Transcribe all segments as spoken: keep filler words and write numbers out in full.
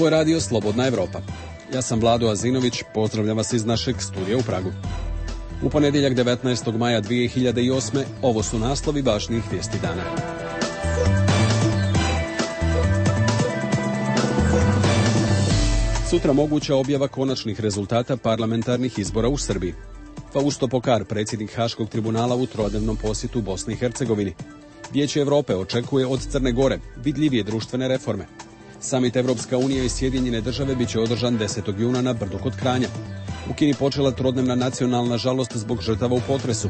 Ovo je radio Slobodna Evropa. Ja sam Vlado Azinović, pozdravljam vas iz našeg studija u Pragu. U ponedjeljak devetnaestog maja dvije hiljade osme. ovo su naslovi važnijih vijesti dana. Sutra moguća objava konačnih rezultata parlamentarnih izbora u Srbiji. Fausto Pokar, predsjednik Haškog tribunala u trodnevnom posjetu Bosni i Hercegovini. Vijeće Europe očekuje od Crne Gore vidljivije društvene reforme. Samit Evropska unija i Sjedinjene države biće održan desetog juna na Brdu kod Kranja. U Kini počela trodnevna nacionalna žalost zbog žrtava u potresu.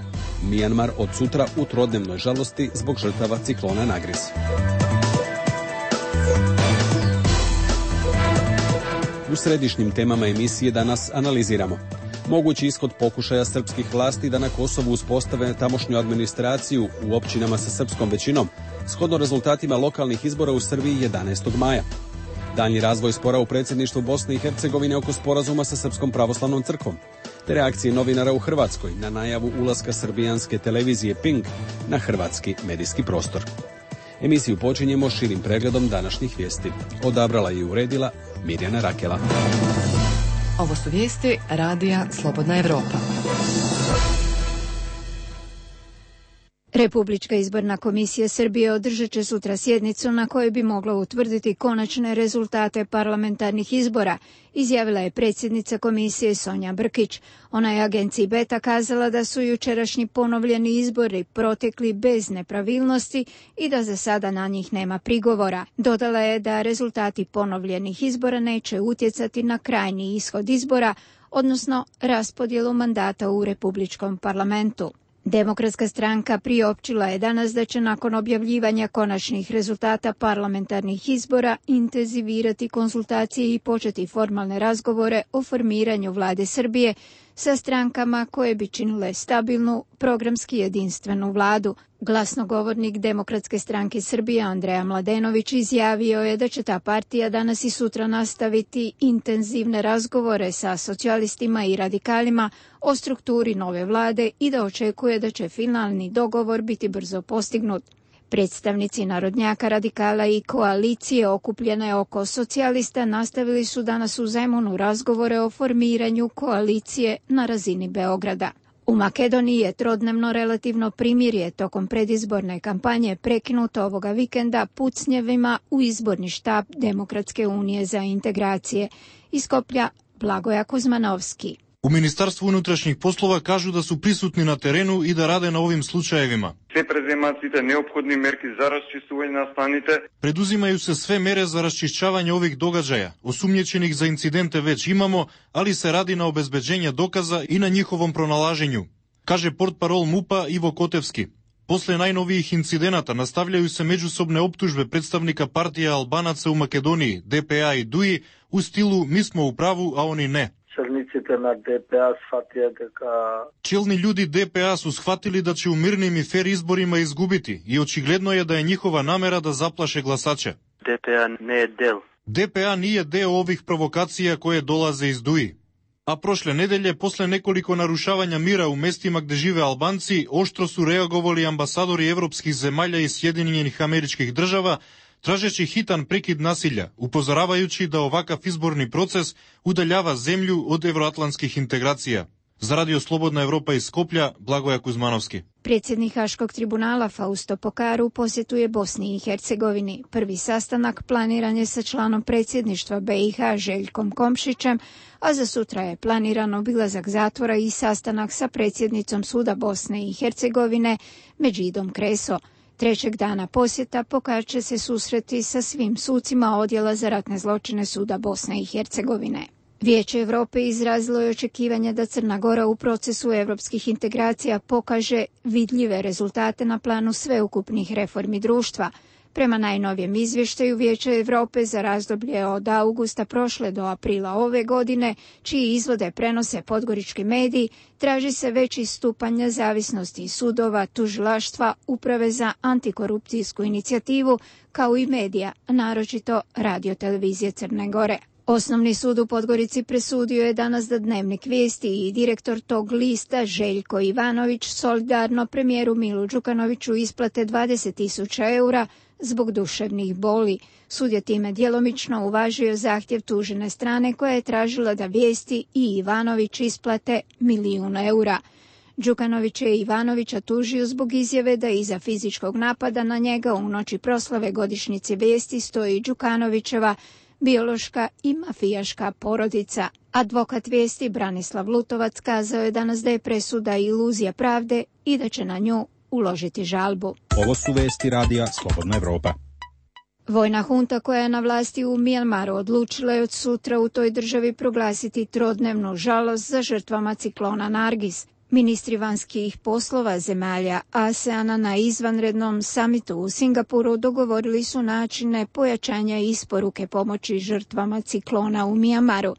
Mijanmar od sutra u trodnevnoj žalosti zbog žrtava ciklona Nagris. U središnjim temama emisije danas analiziramo mogući ishod pokušaja srpskih vlasti da na Kosovu uspostave tamošnju administraciju u općinama sa srpskom većinom, shodno rezultatima lokalnih izbora u Srbiji jedanaestog maja. Daljnji razvoj spora u predsjedništvu Bosne i Hercegovine oko sporazuma sa Srpskom pravoslavnom crkvom, te reakcije novinara u Hrvatskoj na najavu ulaska srbijanske televizije Pink na hrvatski medijski prostor. Emisiju počinjemo širim pregledom današnjih vijesti. Odabrala i uredila Mirjana Rakela. Ovo su vijesti radija Slobodna Evropa. Republička izborna komisija Srbije održat će sutra sjednicu na kojoj bi mogla utvrditi konačne rezultate parlamentarnih izbora, izjavila je predsjednica komisije Sonja Brkić. Ona je agenciji Beta kazala da su jučerašnji ponovljeni izbori protekli bez nepravilnosti i da za sada na njih nema prigovora. Dodala je da rezultati ponovljenih izbora neće utjecati na krajnji ishod izbora, odnosno raspodjelu mandata u Republičkom parlamentu. Demokratska stranka priopćila je danas da će nakon objavljivanja konačnih rezultata parlamentarnih izbora intenzivirati konsultacije i početi formalne razgovore o formiranju vlade Srbije sa strankama koje bi činile stabilnu, programski jedinstvenu vladu. Glasnogovornik Demokratske stranke Srbije Andreja Mladenović izjavio je da će ta partija danas i sutra nastaviti intenzivne razgovore sa socijalistima i radikalima o strukturi nove vlade i da očekuje da će finalni dogovor biti brzo postignut. Predstavnici narodnjaka, radikala i koalicije okupljene oko socijalista nastavili su danas u Zemunu razgovore o formiranju koalicije na razini Beograda. U Makedoniji je trodnevno relativno primirje tokom predizborne kampanje prekinuto ovoga vikenda pucnjevima u izborni štab Demokratske unije za integracije. Iz Skoplja Blagoja Kuzmanovski. U Ministarstvu unutrašnjih poslova kažu da su prisutni na terenu i da rade na ovim slučajevima. Се преземаат сите неопходни мерки за расчистување на станите. Предузимaju se sve mere za raščišćavanje ovih događaja. Osumnjičenih za incidente već imamo, ali se radi na obezbeđenju dokaza i na njihovom pronalaženju, kaže portparol MUP-a Ivo Kotevski. Posle najnovijih incidenata nastavljaju se međusobne optužbe predstavnika partija Albanaca u Makedoniji, D P A i D U I, u stilu mi smo u pravu, a oni ne. Челниците на Д П А сфатија дека Челни ljudi D P A su shvatili da će u mirnim i fer izborima izgubiti i očigledno je da je njihova namera da zaplaše glasače. Д П А не е дел. D P A nije deo ovih provokacija koje dolaze iz D U I. A prošle nedelje, posle nekoliko narušavanja mira u mestima gde žive Albanci, oštro su reagovali ambasadori evropskih zemalja i Sjedinjenih Američkih Država, tražeći hitan prekid nasilja, upozoravajući da ovakav izborni proces udaljava zemlju od evroatlantskih integracija. Za Radio Slobodna Evropa iz Skoplja, Blagoja Kuzmanovski. Predsjednik Haškog tribunala Fausto Pokar u posjetu je Bosni i Hercegovini. Prvi sastanak planiran je sa članom predsjedništva B i H Željkom Komšićem, a za sutra je planiran obilazak zatvora i sastanak sa predsjednicom Suda Bosne i Hercegovine Medžidom Kreso. Trećeg dana posjeta Pokar će se susreti sa svim sucima Odjela za ratne zločine Suda Bosne i Hercegovine. Vijeće Europe izrazilo je očekivanje da Crna Gora u procesu europskih integracija pokaže vidljive rezultate na planu sveukupnih reformi društva. Prema najnovijem izvještaju Vijeća Europe za razdoblje od augusta prošle do aprila ove godine, čiji izvode prenose podgorički mediji, traži se veći stupanj nezavisnosti sudova, tužilaštva, uprave za antikorupcijsku inicijativu, kao i medija, naročito Radio televizije Crne Gore. Osnovni sud u Podgorici presudio je danas da Dnevnik vijesti i direktor tog lista Željko Ivanović solidarno premijeru Milu Đukanoviću isplate dvadeset tisuća eura zbog duševnih boli. Sud je time djelomično uvažio zahtjev tužene strane koja je tražila da Vijesti i Ivanović isplate milijun eura. Đukanović je Ivanovića tužio zbog izjave da iza fizičkog napada na njega u noći proslave godišnjice Vijesti stoji Đukanovićeva biološka i mafijaška porodica. Advokat Vijesti Branislav Lutovac kazao je danas da je presuda iluzija pravde i da će na nju uložiti žalbu. Ovo su vesti radija Slobodna Evropa. Vojna hunta koja je na vlasti u Mijanmaru odlučila je od sutra u toj državi proglasiti trodnevnu žalost za žrtvama ciklona Nargis. Ministri vanjskih poslova zemalja ASEANA na izvanrednom samitu u Singapuru dogovorili su načine pojačanja isporuke pomoći žrtvama ciklona u Mijanmaru.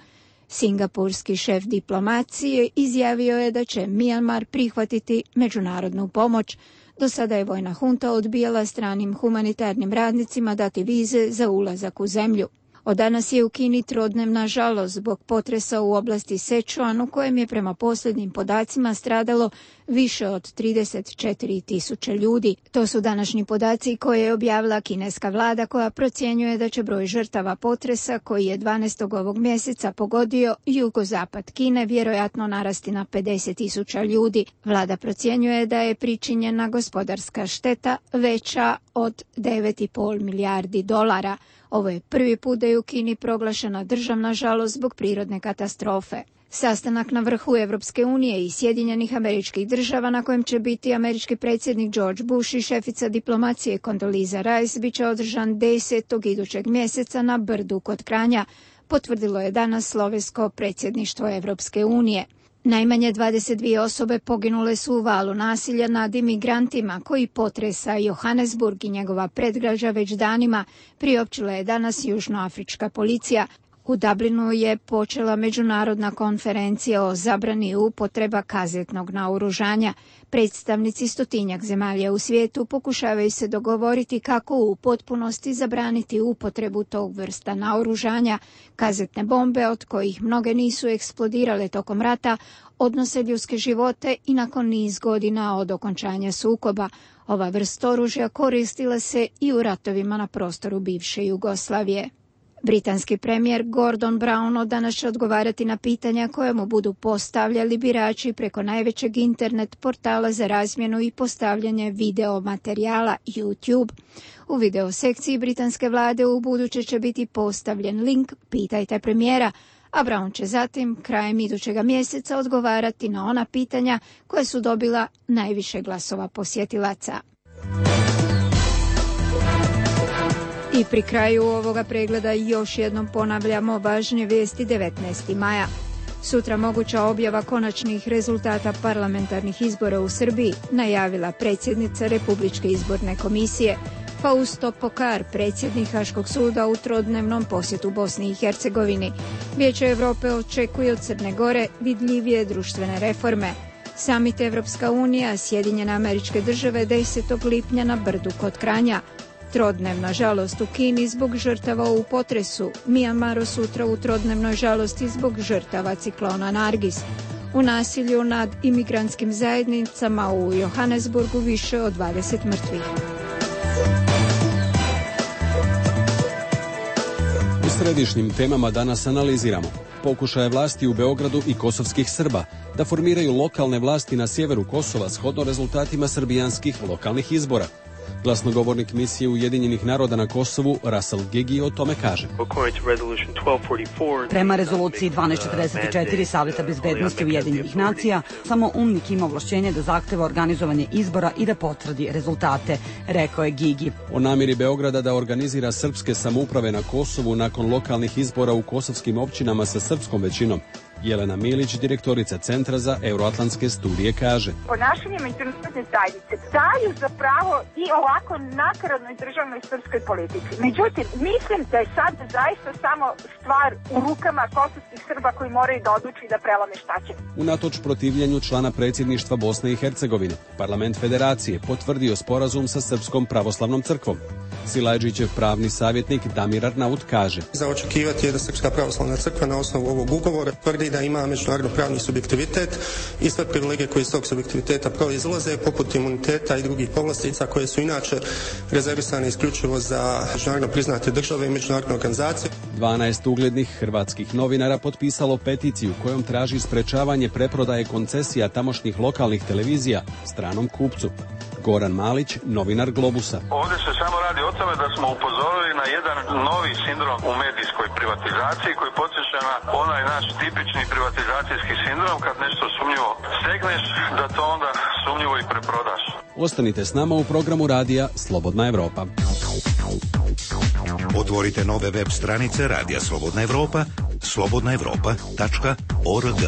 Singapurski šef diplomacije izjavio je da će Mijanmar prihvatiti međunarodnu pomoć. Do sada je vojna hunta odbijala stranim humanitarnim radnicima dati vize za ulazak u zemlju. Od danas je u Kini trodnevna žalost zbog potresa u oblasti Sečuan u kojem je prema posljednjim podacima stradalo više od trideset četiri tisuće ljudi. To su današnji podaci koje je objavila kineska vlada koja procjenjuje da će broj žrtava potresa koji je dvanaestog ovog mjeseca pogodio jugozapad Kine vjerojatno narasti na pedeset tisuća ljudi. Vlada procjenjuje da je pričinjena gospodarska šteta veća od devet i pol milijardi dolara. Ovo je prvi put da je u Kini proglašena državna žalost zbog prirodne katastrofe. Sastanak na vrhu Evropske unije i Sjedinjenih Američkih Država na kojem će biti američki predsjednik George Bush i šefica diplomacije Condoleezza Rice bit će održan desetog idućeg mjeseca na Brdu kod Kranja, potvrdilo je danas slovensko predsjedništvo Evropske unije. Najmanje dvadeset dvije osobe poginule su u valu nasilja nad imigrantima koji potresa Johannesburg i njegova predgrađa već danima, priopćila je danas južnoafrička policija. U Dublinu je počela međunarodna konferencija o zabrani upotreba kazetnog naoružanja. Predstavnici stotinjak zemalja u svijetu pokušavaju se dogovoriti kako u potpunosti zabraniti upotrebu tog vrsta naoružanja. Kazetne bombe, od kojih mnoge nisu eksplodirale tokom rata, odnose ljudske živote i nakon niz godina od okončanja sukoba. Ova vrsta oružja koristila se i u ratovima na prostoru bivše Jugoslavije. Britanski premijer Gordon Brown od danas će odgovarati na pitanja koje mu budu postavljali birači preko najvećeg internet portala za razmjenu i postavljanje video materijala YouTube. U video sekciji britanske vlade u buduće će biti postavljen link Pitajte premijera, a Brown će zatim krajem idućega mjeseca odgovarati na ona pitanja koje su dobila najviše glasova posjetilaca. I pri kraju ovoga pregleda još jednom ponavljamo važne vijesti devetnaestog maja. Sutra moguća objava konačnih rezultata parlamentarnih izbora u Srbiji, najavila predsjednica Republičke izborne komisije. Fausto Pokar, predsjednik Haškog suda u trodnevnom posjetu Bosni i Hercegovini. Vijeće Europe očekuje od Crne Gore vidljivije društvene reforme. Samit Evropska unija, Sjedinjene Američke Države desetog lipnja na Brdu kod Kranja. Trodnevna žalost u Kini zbog žrtava u potresu. Mijanmaru sutra u trodnevnoj žalosti zbog žrtava ciklona Nargis. U nasilju nad imigrantskim zajednicama u Johannesburgu više od dvadeset mrtvih. U središnjim temama danas analiziramo pokušaje vlasti u Beogradu i kosovskih Srba da formiraju lokalne vlasti na sjeveru Kosova shodno rezultatima srbijanskih lokalnih izbora. Glasnogovornik misije Ujedinjenih naroda na Kosovu, Russell Gigi, o tome kaže. Prema rezoluciji dvanaest četrdeset četiri Savjeta bezbednosti Ujedinjenih nacija, samo UNMIK ima ovlašćenje da zahteva organizovanje izbora i da potvrdi rezultate, rekao je Gigi. O namjeri Beograda da organizira srpske samouprave na Kosovu nakon lokalnih izbora u kosovskim općinama sa srpskom većinom, Jelena Milić, direktorica Centra za euroatlantske studije, kaže. Ponašanje međunarodne zajednice daju za pravo i ovako nakaradnoj državnoj srpskoj politici. Međutim, mislim da je sad zaista samo stvar u rukama kosovskih Srba koji moraju da odluči da prelome šta će. Unatoč protivljenju člana predsjedništva Bosne i Hercegovine, parlament federacije potvrdio sporazum sa Srpskom pravoslavnom crkvom. Silajđićev pravni savjetnik Damir Arnaut kaže: Za očekivati je da Srpska pravoslavna crkva na osnovu ovog ugovora tvrdi da ima međunarodno pravni subjektivitet i sve privilegije koje iz tog subjektiviteta proizlaze, poput imuniteta i drugih povlastica koje su inače rezervisane isključivo za međunarodno priznate države i međunarodne organizacije. dvanaest uglednih hrvatskih novinara potpisalo peticiju kojom traži sprečavanje preprodaje koncesija tamošnjih lokalnih televizija stranom kupcu. Goran Malić, novinar Globusa. Ovdje se samo radi o tome da smo upozorili na jedan novi sindrom u medijskoj privatizaciji koji podsjeća na onaj naš tipični privatizacijski sindrom, kad nešto sumnjivo stegneš, da to onda sumnjivo i preprodaš. Ostanite s nama u programu radija Slobodna Evropa. Otvorite nove web stranice Radija Slobodna Evropa, slobodna evropa tačka org.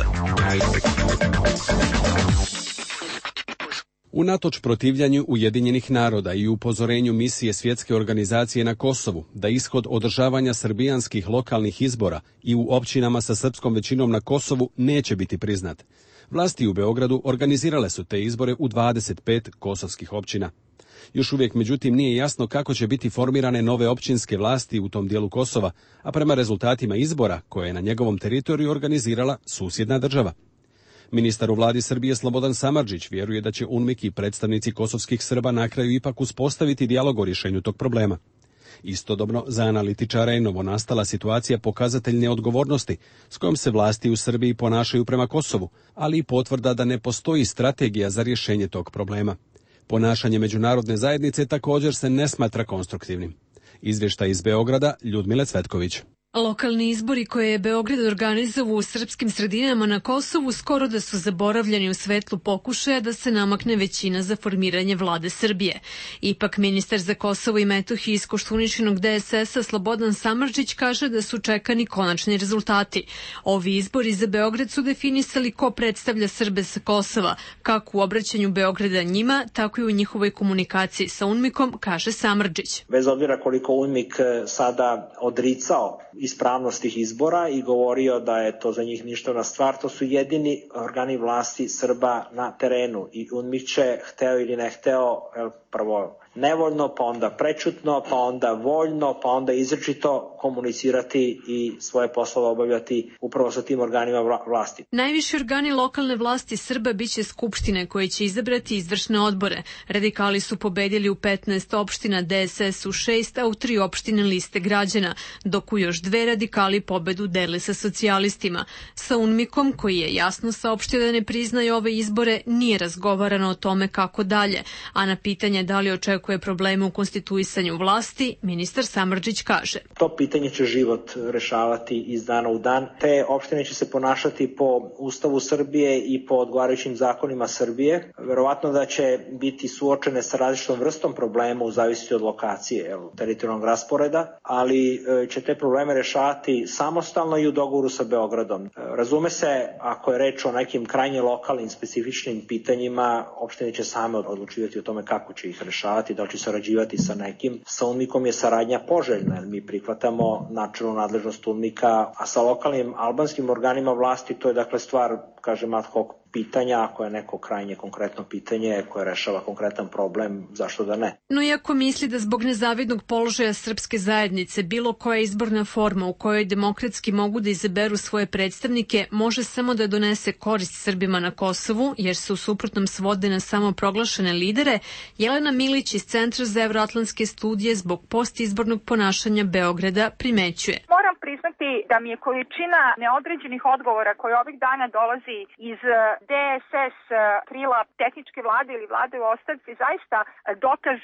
Unatoč protivljanju Ujedinjenih naroda i upozorenju misije Svjetske organizacije na Kosovu da ishod održavanja srbijanskih lokalnih izbora i u općinama sa srpskom većinom na Kosovu neće biti priznat, vlasti u Beogradu organizirale su te izbore u dvadeset pet kosovskih općina. Još uvijek, međutim, nije jasno kako će biti formirane nove općinske vlasti u tom dijelu Kosova, a prema rezultatima izbora koje je na njegovom teritoriju organizirala susjedna država. Ministar u vladi Srbije Slobodan Samardžić vjeruje da će UNMIK i predstavnici kosovskih Srba na kraju ipak uspostaviti dijalog o rješenju tog problema. Istodobno, za analitičara je novonastala situacija pokazatelj neodgovornosti s kojom se vlasti u Srbiji ponašaju prema Kosovu, ali i potvrda da ne postoji strategija za rješenje tog problema. Ponašanje međunarodne zajednice također se ne smatra konstruktivnim. Izvještaj iz Beograda, Ljudmile Cvetković. Lokalni izbori koje je Beograd organizovao u srpskim sredinama na Kosovu skoro da su zaboravljeni u svetlu pokušaja da se namakne većina za formiranje vlade Srbije. Ipak ministar za Kosovo i Metohiju iz Koštuničinog D S S-a Slobodan Samardžić kaže da su čekani konačni rezultati. Ovi izbori za Beograd su definisali ko predstavlja Srbe sa Kosova, kako u obraćanju Beograda njima, tako i u njihovoj komunikaciji sa UNMIK-om, kaže Samardžić. Bez obzira koliko UNMIK sada odricao ispravnost tih izbora i govorio da je to za njih ništavna stvar, to su jedini organi vlasti Srba na terenu i UNMIK će, hteo ili ne hteo, prvo nevoljno, pa onda prečutno, pa onda voljno, pa onda izričito komunicirati i svoje poslove obavljati upravo sa tim organima vlasti. Najviši organi lokalne vlasti Srba biće skupštine koje će izabrati izvršne odbore. Radikali su pobedili u petnaest opština, D S S u šest, a u tri opštine liste građana, dok u još dve radikali pobedu dele sa socijalistima. Sa UNMIK-om, koji je jasno saopštio da ne priznaje ove izbore, nije razgovarano o tome kako dalje, a na pitanje da li očekuje koje probleme u konstituisanju vlasti, ministar Samardžić kaže: To pitanje će život rešavati iz dana u dan. Te opštine će se ponašati po Ustavu Srbije i po odgovarajućim zakonima Srbije. Verovatno da će biti suočene sa različitom vrstom problema u zavisnosti od lokacije, jel, teritorijalnog rasporeda, ali će te probleme rešavati samostalno i u dogovoru sa Beogradom. Razume se, ako je reč o nekim krajnje lokalnim specifičnim pitanjima, opštine će same odlučivati o tome kako će ih rešavati, da li će sarađivati sa nekim. Sa UNMIK-om je saradnja poželjna, jer mi prihvatamo načelnu nadležnost UNMIK-a, a sa lokalnim albanskim organima vlasti to je dakle stvar, kažem, ad hoc pitanja, ako je neko krajnje konkretno pitanje koje rešava konkretan problem, zašto da ne? No iako misli da zbog nezavidnog položaja srpske zajednice bilo koja izborna forma u kojoj demokratski mogu da izaberu svoje predstavnike može samo da donese korist Srbima na Kosovu, jer se u suprotnom svode na samo proglašene lidere, Jelena Milić iz Centra za evroatlantske studije zbog postizbornog ponašanja Beograda primećuje. Moram priznati da mi je količina neodređenih odgovora koje ovih dana dolazi iz D S S krila tehničke vlade ili vlade u ostavci zaista dokaz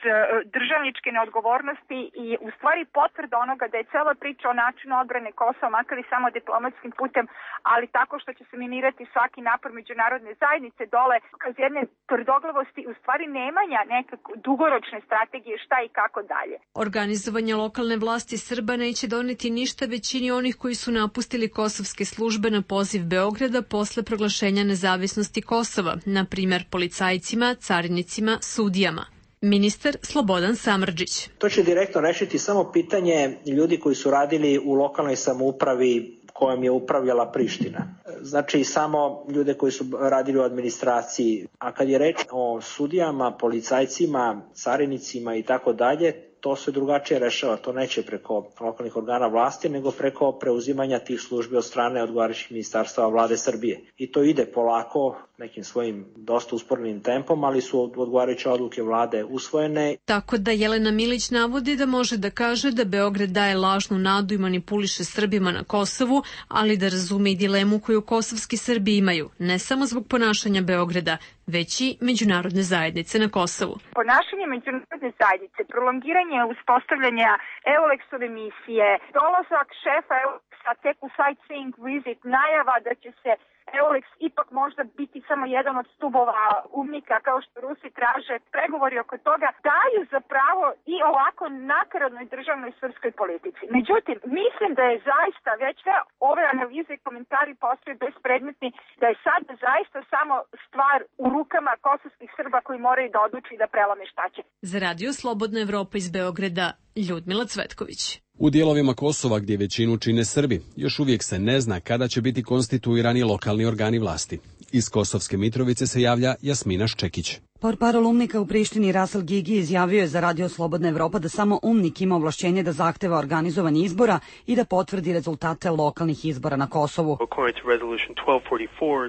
državničke neodgovornosti i u stvari potvrda onoga da je cela priča o načinu odbrane Kosova, makar i samo diplomatskim putem, ali tako što će se minirati svaki napor međunarodne zajednice dole, kroz jedne tvrdoglavosti u stvari nemanja nekako dugoročne strategije šta i kako dalje. Organizovanje lokalne vlasti Srba neće doneti ništa većini onih koji su napustili kosovske službe na poziv Beograda posle proglašenja nezavisnosti Kosova, na primjer policajcima, carinicima, sudijama. Ministar Slobodan Samardžić. To će direktno rešiti samo pitanje ljudi koji su radili u lokalnoj samoupravi kojom je upravljala Priština. Znači samo ljude koji su radili u administraciji. A kad je reč o sudijama, policajcima, carinicima i tako dalje, to se drugačije rešava, to neće preko lokalnih organa vlasti, nego preko preuzimanja tih službi od strane odgovarajućih ministarstava vlade Srbije. I to ide polako, nekim svojim dosta usporenim tempom, ali su odgovarajuće odluke vlade usvojene. Tako da Jelena Milić navodi da može da kaže da Beograd daje lažnu nadu i manipuliše Srbima na Kosovu, ali da razume i dilemu koju kosovski Srbi imaju, ne samo zbog ponašanja Beograda, već i međunarodne zajednice na Kosovu. Ponašanje međunarodne zajednice, prolongiranje uspostavljanja Eulexove misije, dolazak šefa Eulexa tek u sightseeing visit, najava da će se Eulex ipak možda biti samo jedan od stubova umnika kao što Rusi traže, pregovori oko toga daju za pravo i ovako nakaradnoj državnoj srpskoj politici. Međutim, mislim da je zaista već sve ove analize i komentari postaju bespredmetni, da je sad zaista samo stvar u rukama kosovskih Srba koji moraju da odluči da prelome šta će. Za Radio Slobodna Evropa iz Beograda, Ljudmila Cvetković. U dijelovima Kosova gdje većinu čine Srbi, još uvijek se ne zna kada će biti konstituirani lokalni organi vlasti. Iz Kosovske Mitrovice se javlja Jasmina Ščekić. Portparol UMNIK-a u Prištini Rasel Gigi izjavio je za Radio Slobodna Evropa da samo UMNIK ima ovlašćenje da zahteva organizovanje izbora i da potvrdi rezultate lokalnih izbora na Kosovu.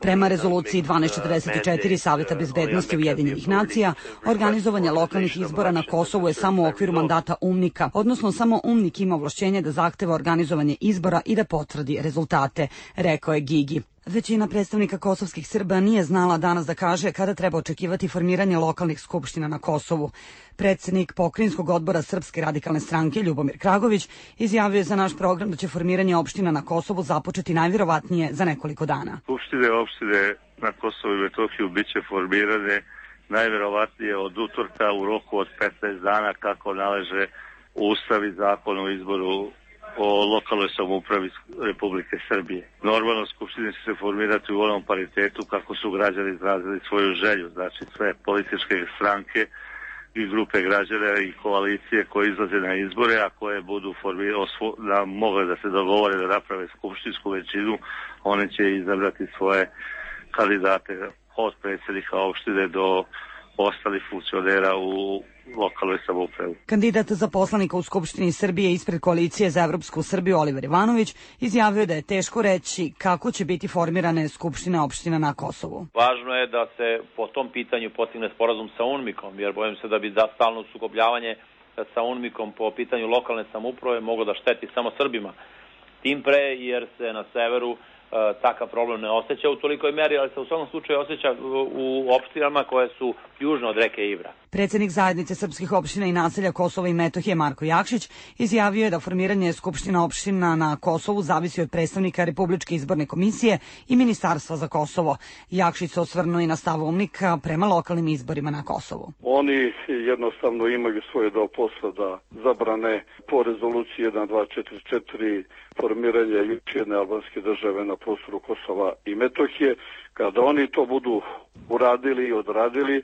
Prema rezoluciji dvanaest četrdeset četiri Saveta bezbednosti Ujedinjenih nacija, organizovanje lokalnih izbora na Kosovu je samo u okviru mandata UMNIK-a, odnosno samo UMNIK ima ovlašćenje da zahteva organizovanje izbora i da potvrdi rezultate, rekao je Gigi. Većina predstavnika kosovskih Srba nije znala danas da kaže kada treba očekivati formiranje lokalnih skupština na Kosovu. Predsjednik Pokrajinskog odbora Srpske radikalne stranke Ljubomir Kragović izjavio je za naš program da će formiranje opština na Kosovu započeti najvjerovatnije za nekoliko dana. Skupštine opštine na Kosovu i Metohiju bit će formirane najvjerovatnije od utorka u roku od petnaest dana kako naleže Ustav i zakon o izboru o lokalnoj samoupravi Republike Srbije. Normalno skupštine će se formirati u onom paritetu kako su građani izrazili svoju želju, znači sve političke stranke i grupe građana i koalicije koje izlaze na izbore, a koje budu da mogle da se dogovore da naprave skupštinsku većinu, one će izabrati svoje kandidate od predsjednika opštine do ostalih funkcionera u lokalnoj samoupravi. Kandidat za poslanika u Skupštini Srbije ispred koalicije za Evropsku Srbiju Oliver Ivanović izjavio da je teško reći kako će biti formirane skupštine opština na Kosovu. Važno je da se po tom pitanju postigne sporazum sa UNMIK-om, jer bojim se da bi da stalno sukobljavanje sa UNMIK-om po pitanju lokalne samouprave moglo da šteti samo Srbima. Tim pre jer se na severu takav problem ne osjeća u tolikoj meri, ali se u svakom slučaju osjeća u opštinama koje su južno od reke Ibra. Predsjednik zajednice srpskih opština i naselja Kosova i Metohije Marko Jakšić izjavio je da formiranje skupština opština na Kosovu zavisi od predstavnika Republičke izborne komisije i Ministarstva za Kosovo. Jakšić se osvrnuo i na stav UMNIK-a prema lokalnim izborima na Kosovu. Oni jednostavno imaju svoje deo posla da zabrane po rezoluciji jedan dva četiri četiri formiranje još jedne albanske države na prostoru Kosova i Metohije. Kada oni to budu uradili i odradili,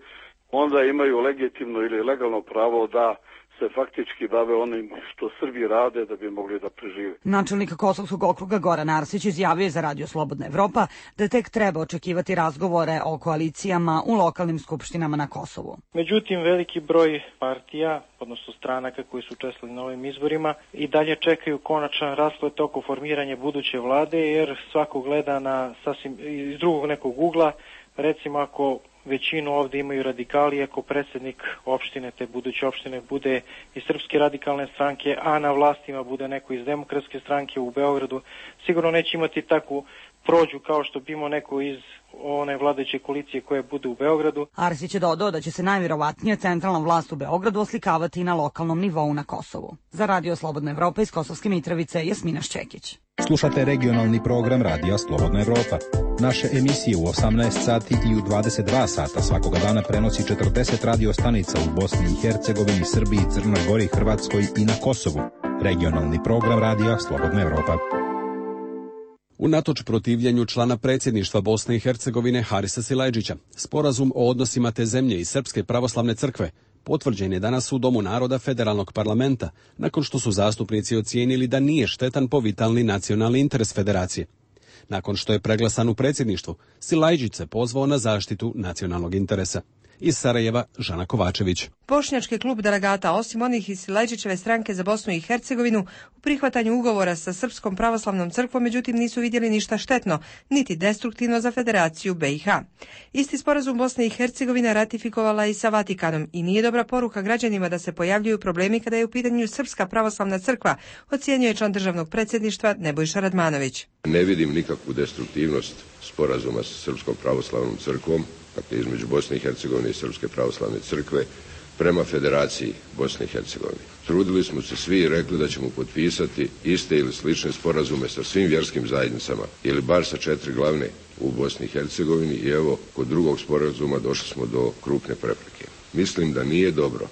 onda imaju legitimno ili legalno pravo da se faktički bave onim što Srbi rade da bi mogli da prežive. Načelnik Kosovskog okruga Goran Arsić izjavio je za Radio Slobodna Evropa da tek treba očekivati razgovore o koalicijama u lokalnim skupštinama na Kosovu. Međutim, veliki broj partija, odnosno stranaka koji su učestvovali na ovim izborima, i dalje čekaju konačan rasplet oko formiranja buduće vlade, jer svako gleda na sasvim iz drugog nekog ugla. Recimo, ako većinu ovdje imaju radikali, ako predsjednik opštine, te buduće opštine, bude iz Srpske radikalne stranke, a na vlastima bude neko iz Demokratske stranke u Beogradu, sigurno neće imati takvu prođu kao što bi imao neko iz one vladajuće koalicije koje bude u Beogradu. Arsić je dodao da će se najvjerovatnije centralna vlast u Beogradu oslikavati na lokalnom nivou na Kosovu. Za Radio Slobodna Evropa iz Kosovske Mitrovice, Jasmina Ščekić. Slušate regionalni program Radija Slobodna Evropa. Naše emisije u osamnaest sati i u dvadeset dva sata svakoga dana prenosi četrdeset radio stanica u Bosni i Hercegovini, Srbiji, Crnoj Gori, Hrvatskoj i na Kosovu. Regionalni program Radija Slobodna Evropa. Unatoč protivljenju člana predsjedništva Bosne i Hercegovine Harisa Silajdžića, sporazum o odnosima te zemlje i Srpske pravoslavne crkve potvrđen je danas u Domu naroda Federalnog parlamenta, nakon što su zastupnici ocijenili da nije štetan po vitalni nacionalni interes federacije. Nakon što je preglasan u predsjedništvu, Silajdžić se pozvao na zaštitu nacionalnog interesa. Iz Sarajeva Žana Kovačević. Bošnjački klub delegata, osim onih iz Silajdžićeve stranke za Bosnu i Hercegovinu, u prihvatanju ugovora sa Srpskom pravoslavnom crkvom, međutim nisu vidjeli ništa štetno, niti destruktivno za Federaciju B i H. Isti sporazum Bosne i Hercegovine ratifikovala i sa Vatikanom i nije dobra poruka građanima da se pojavljuju problemi kada je u pitanju Srpska pravoslavna crkva, ocjenjuje član državnog predsjedništva Nebojša Radmanović. Ne vidim nikakvu destruktivnost sporazuma sa Srpskom pravoslavnom crkvom, dakle između Bosne i Hercegovine i Srpske pravoslavne crkve, prema Federaciji Bosne i Hercegovine. Trudili smo se svi i rekli da ćemo potpisati iste ili slične sporazume sa svim vjerskim zajednicama ili bar sa četiri glavne u Bosni i Hercegovini i evo kod drugog sporazuma došli smo do krupne prepreke. Mislim da nije dobro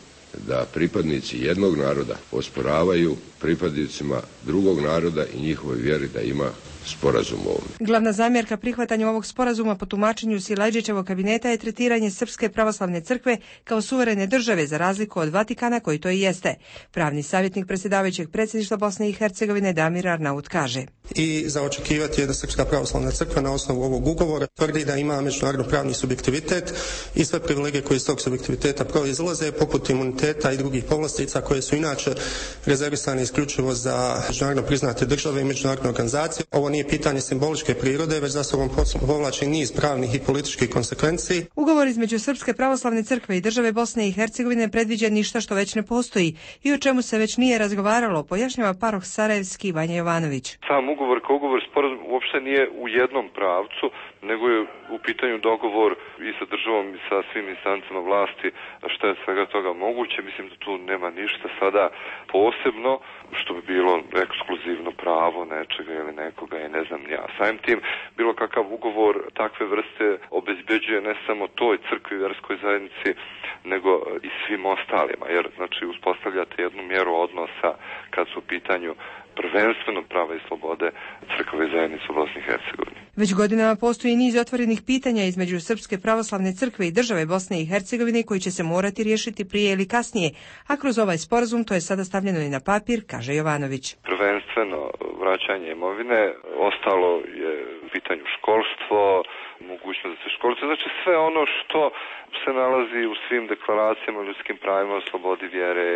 da pripadnici jednog naroda osporavaju pripadnicima drugog naroda i njihovoj vjeri da ima sporazum o ovome. Glavna zamjerka prihvatanju ovog sporazuma po tumačenju Silajdžićevog kabineta je tretiranje Srpske pravoslavne crkve kao suverene države za razliku od Vatikana koji to i jeste. Pravni savjetnik predsjedavajućeg predsjedništva Bosne i Hercegovine Damir Arnaut kaže. I za očekivati je da Srpska pravoslavna crkva na osnovu ovog ugovora tvrdi da ima međunarodno pravni subjektivitet i sve privilegije koje iz tog subjektiviteta proizlaze, poput imuniteta i drugih povlastica koje su inače rezervisane isključivo za međunarodno priznate države i međunarodne organizacije. Ovo nije pitanje simboličke prirode, već za sobom povlači niz pravnih i političkih konsekvenci. Ugovor između Srpske pravoslavne crkve i države Bosne i Hercegovine predviđa ništa što već ne postoji i o čemu se već nije razgovaralo, pojašnjava paroh Sarajevski Vanja Jovanović. Sam ugovor kao ugovor sporazum uopšte nije u jednom pravcu, nego je u pitanju dogovor i sa državom i sa svim instancama vlasti, što je svega toga moguće. Mislim da tu nema ništa sada posebno što bi bilo ekskluzivno pravo nečega ili nekoga i ne znam ja. Samim tim bilo kakav ugovor takve vrste obezbeđuje ne samo toj crkvi, vjerskoj zajednici, nego i svim ostalima, jer znači uspostavljate jednu mjeru odnosa kad su u pitanju prvenstveno prava i slobode crkve zajednice u Bosni i Hercegovini. Već godinama postoji niz otvorenih pitanja između Srpske pravoslavne crkve i države Bosne i Hercegovine koji će se morati riješiti prije ili kasnije, a kroz ovaj sporazum to je sada stavljeno i na papir, kaže Jovanović. Prvenstveno vraćanje imovine, ostalo je u pitanju školstvo, mogućnost da se školstvo, znači sve ono što se nalazi u svim deklaracijama o ljudskim pravima, o slobodi vjere,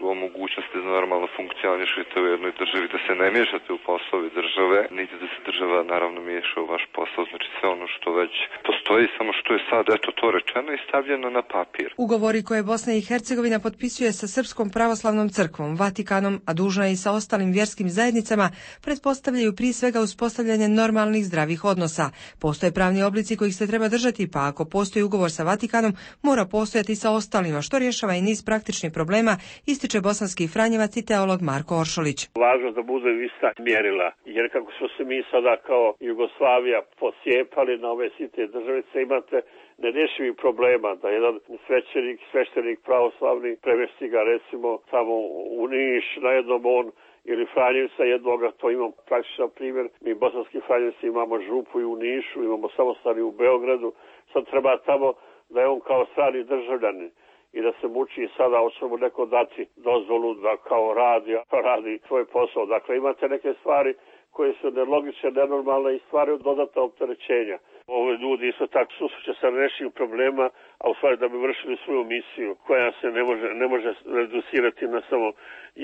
o mogućnosti da normalno funkcionišete u jednoj državi, da se ne miješate u poslovi države, niti da se država naravno miješa u vaš posao, znači sve ono što već postoji, samo što je sad eto to rečeno i stavljeno na papir. Ugovori koje Bosna i Hercegovina potpisuje sa Srpskom pravoslavnom crkvom, Vatikanom, a dužna je i sa ostalim vjerskim zajednicama, pretpostavljaju prije svega uspostavljanje normalnih zdravih odnosa. Postoje pravni oblici kojih se treba držati, pa ako postoji ugovor sa Vatikanom, mora postojati i sa ostalima, što rješava i niz praktičnih problema, ističe bosanski franjevac i teolog Marko Oršolić. Važno da bude ista mjerila, jer kako smo se mi sada kao Jugoslavija posjepali na ove sitne državice, imate nerješivih problema da jedan svećenik, sveštenik pravoslavni premjesti ga recimo tamo u Niš, na jednom on ili Franjevca jednoga, to imam praktičan primjer. Mi bosanski Franjevci imamo župu i u Nišu, imamo samostani u Beogradu, sad treba tamo da je on kao strani državljanin i da se muči sada, hoće mu neko dati dozvolu da kao radi, radi svoj posao. Dakle, imate neke stvari koje su nelogične, nenormalne i stvari dodatna opterećenja. Ove ljudi isto tako susreće sa nešim problema, a u stvari da bi vršili svoju misiju koja se ne može, ne može reducirati na samo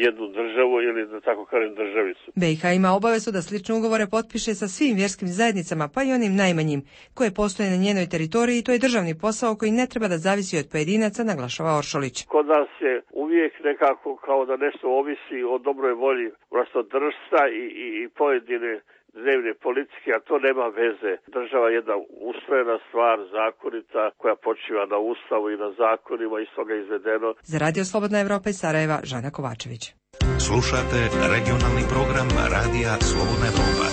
jednu državu ili da tako kažem državicu. B i H ima obavezu da slične ugovore potpiše sa svim vjerskim zajednicama, pa i onim najmanjim, koje postoje na njenoj teritoriji i to je državni posao koji ne treba da zavisi od pojedinaca, naglašava Oršolić. Kod nas je uvijek nekako kao da nešto ovisi o dobroj volji vlastodržca i, i, i pojedine dnevne politike, a to nema veze. Država je jedna ustrojena stvar, zakonita, koja počiva na ustavu i na zakonima, iz toga izvedeno. Za Radio Slobodna Evropa iz Sarajeva, Žana Kovačević. Slušate regionalni program Radija Slobodna Evropa.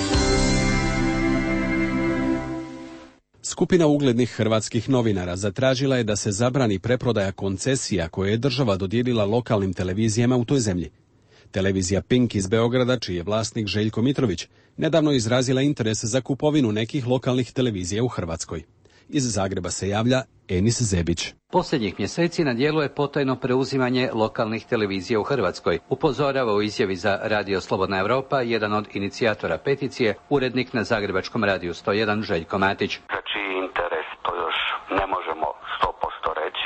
Skupina uglednih hrvatskih novinara zatražila je da se zabrani preprodaja koncesija koje je država dodijelila lokalnim televizijama u toj zemlji. Televizija Pink iz Beograda, čiji je vlasnik Željko Mitrović, nedavno izrazila interes za kupovinu nekih lokalnih televizija u Hrvatskoj. Iz Zagreba se javlja Enis Zebić. Posljednjih mjeseci na djelu je potajno preuzimanje lokalnih televizija u Hrvatskoj, upozorava u izjavi za Radio Slobodna Evropa jedan od inicijatora peticije, urednik na Zagrebačkom radiju sto jedan Željko Matić. Za čiji interes to još ne možemo sto posto reći,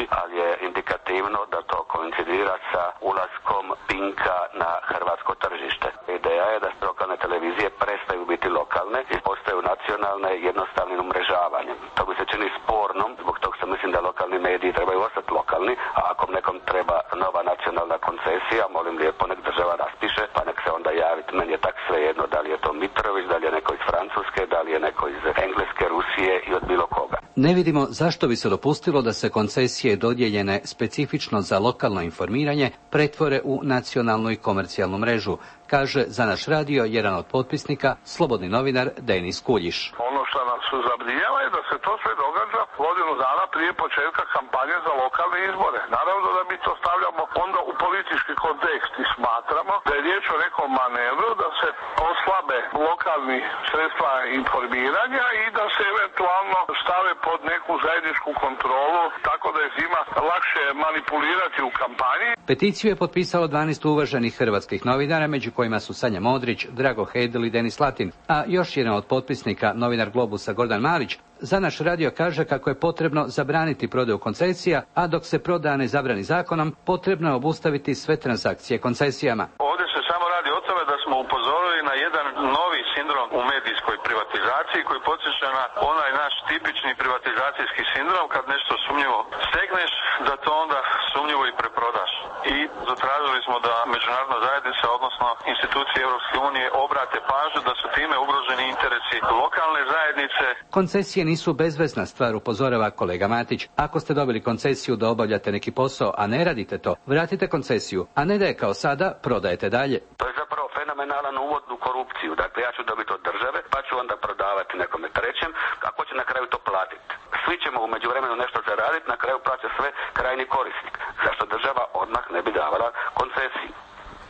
mediji trebaju ostati lokalni, a ako nekom treba nova nacionalna koncesija, molim lijepo nek država raspiše, pa nek se onda javiti. Meni je tak svejedno da li je to Mitrović, da li je neko iz Francuske, da li je neko iz Engleske, Rusije i od bilo koga. Ne vidimo zašto bi se dopustilo da se koncesije dodijeljene specifično za lokalno informiranje pretvore u nacionalnu i komercijalnu mrežu, kaže za naš radio jedan od potpisnika, slobodni novinar Denis Kuljiš. Ono što nas zabrinjava je da se to sve događa godinu dana prije početka kampanje za lokalne izbore. Naravno da mi to stavljamo onda u politički kontekst i smatramo da je riječ o nekom manevru da se oslabe lokalni sredstva informiranja i da se eventualno stave pod neku zajedničku kontrolu, tako da je zima lakše manipulirati u kampanji. Peticiju je potpisalo dvanaest uvaženih hrvatskih novinara, među kojima su Sanja Modrić, Drago Hedl i Denis Latin, a još jedan od potpisnika, novinar Globusa Gordan Malić, za naš radio kaže kako je potrebno zabraniti prodaju koncesija, a dok se prodaja ne zabrani zakonom, potrebno je obustaviti sve transakcije koncesijama. Ovdje se samo radi o tome da smo upozorili na jedan novi sindrom u medijskoj privatizaciji koji podsjeća na onaj naš tipični privatizacijski sindrom kad nešto sumnjivo stegneš, da to onda sumnjivo i preprodaš. I zatražili smo da međunarodna zajednica, odnosno institucije Europske unije, obrate pažnju da su time ugroženi interesi lokalne zajednice. Koncesije nisu bezvezna stvar, upozorava kolega Matić. Ako ste dobili koncesiju da obavljate neki posao, a ne radite to, vratite koncesiju, a ne da je kao sada prodajete dalje. To je zapravo fenomenalan uvod u korupciju. Dakle, ja ću dobiti od države, pa ću onda prodavati nekome trećem, kako će na kraju to platiti. Svi ćemo u međuvremenu nešto zaraditi, na kraju plaća sve krajni korisnik. Zašto država odmah ne bi davala koncesiju?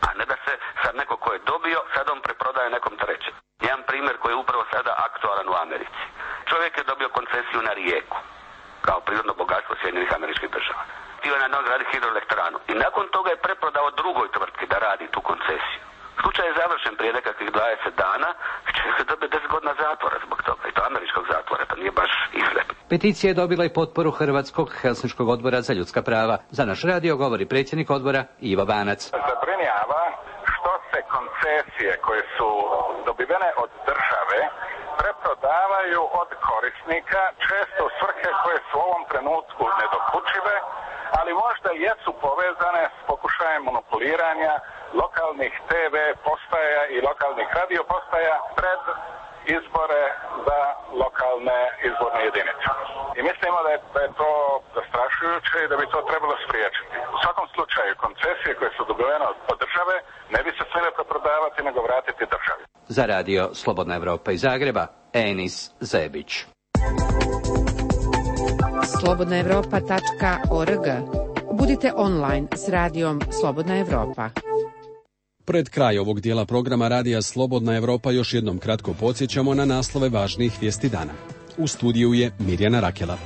A ne da se sad neko ko je dobio, sad on preprodaje nekom trećem. Jedan primjer koji je upravo sada aktualan u Americi. Čovjek je dobio koncesiju na rijeku, kao prirodno bogatstvo Sjedinjenih Američkih Država. Htio je na njoj graditi hidroelektranu i nakon toga je preprodao drugoj tvrtki da radi tu koncesiju. Slučaj je završen prije nekakvih dvadeset dana, čovjek je dobio deset godina zatvora zbog toga, i to američkog zatvora, to nije baš izgled. Peticija je dobila i potporu Hrvatskog Helsinškog odbora za ljudska prava. Za naš radio govori predsjednik odbora Ivo Banac. Zabrinjava što se koncesije koje su dobivene od države preprodavaju od korisnika, često u svrhe koje su u ovom trenutku nedokučive, ali možda jesu povezane s pokušajem monopoliranja lokalnih te ve postaja i lokalnih radio postaja pred izbore za lokalne izborne jedinice. I mislimo da je, da je to zastrašujuće i da bi to trebalo spriječiti. U svakom slučaju, koncesije koje su dobivene od države ne bi se smjele preprodavati nego vratiti državi. Za radio Slobodna Evropa iz Zagreba, Enis Zebić. slobodna evropa tačka org. Budite online s radijom Slobodna Evropa. Pred kraj ovog dijela programa radija Slobodna Evropa još jednom kratko podsjećamo na naslove važnijih vijesti dana. U studiju je Mirjana Rakela.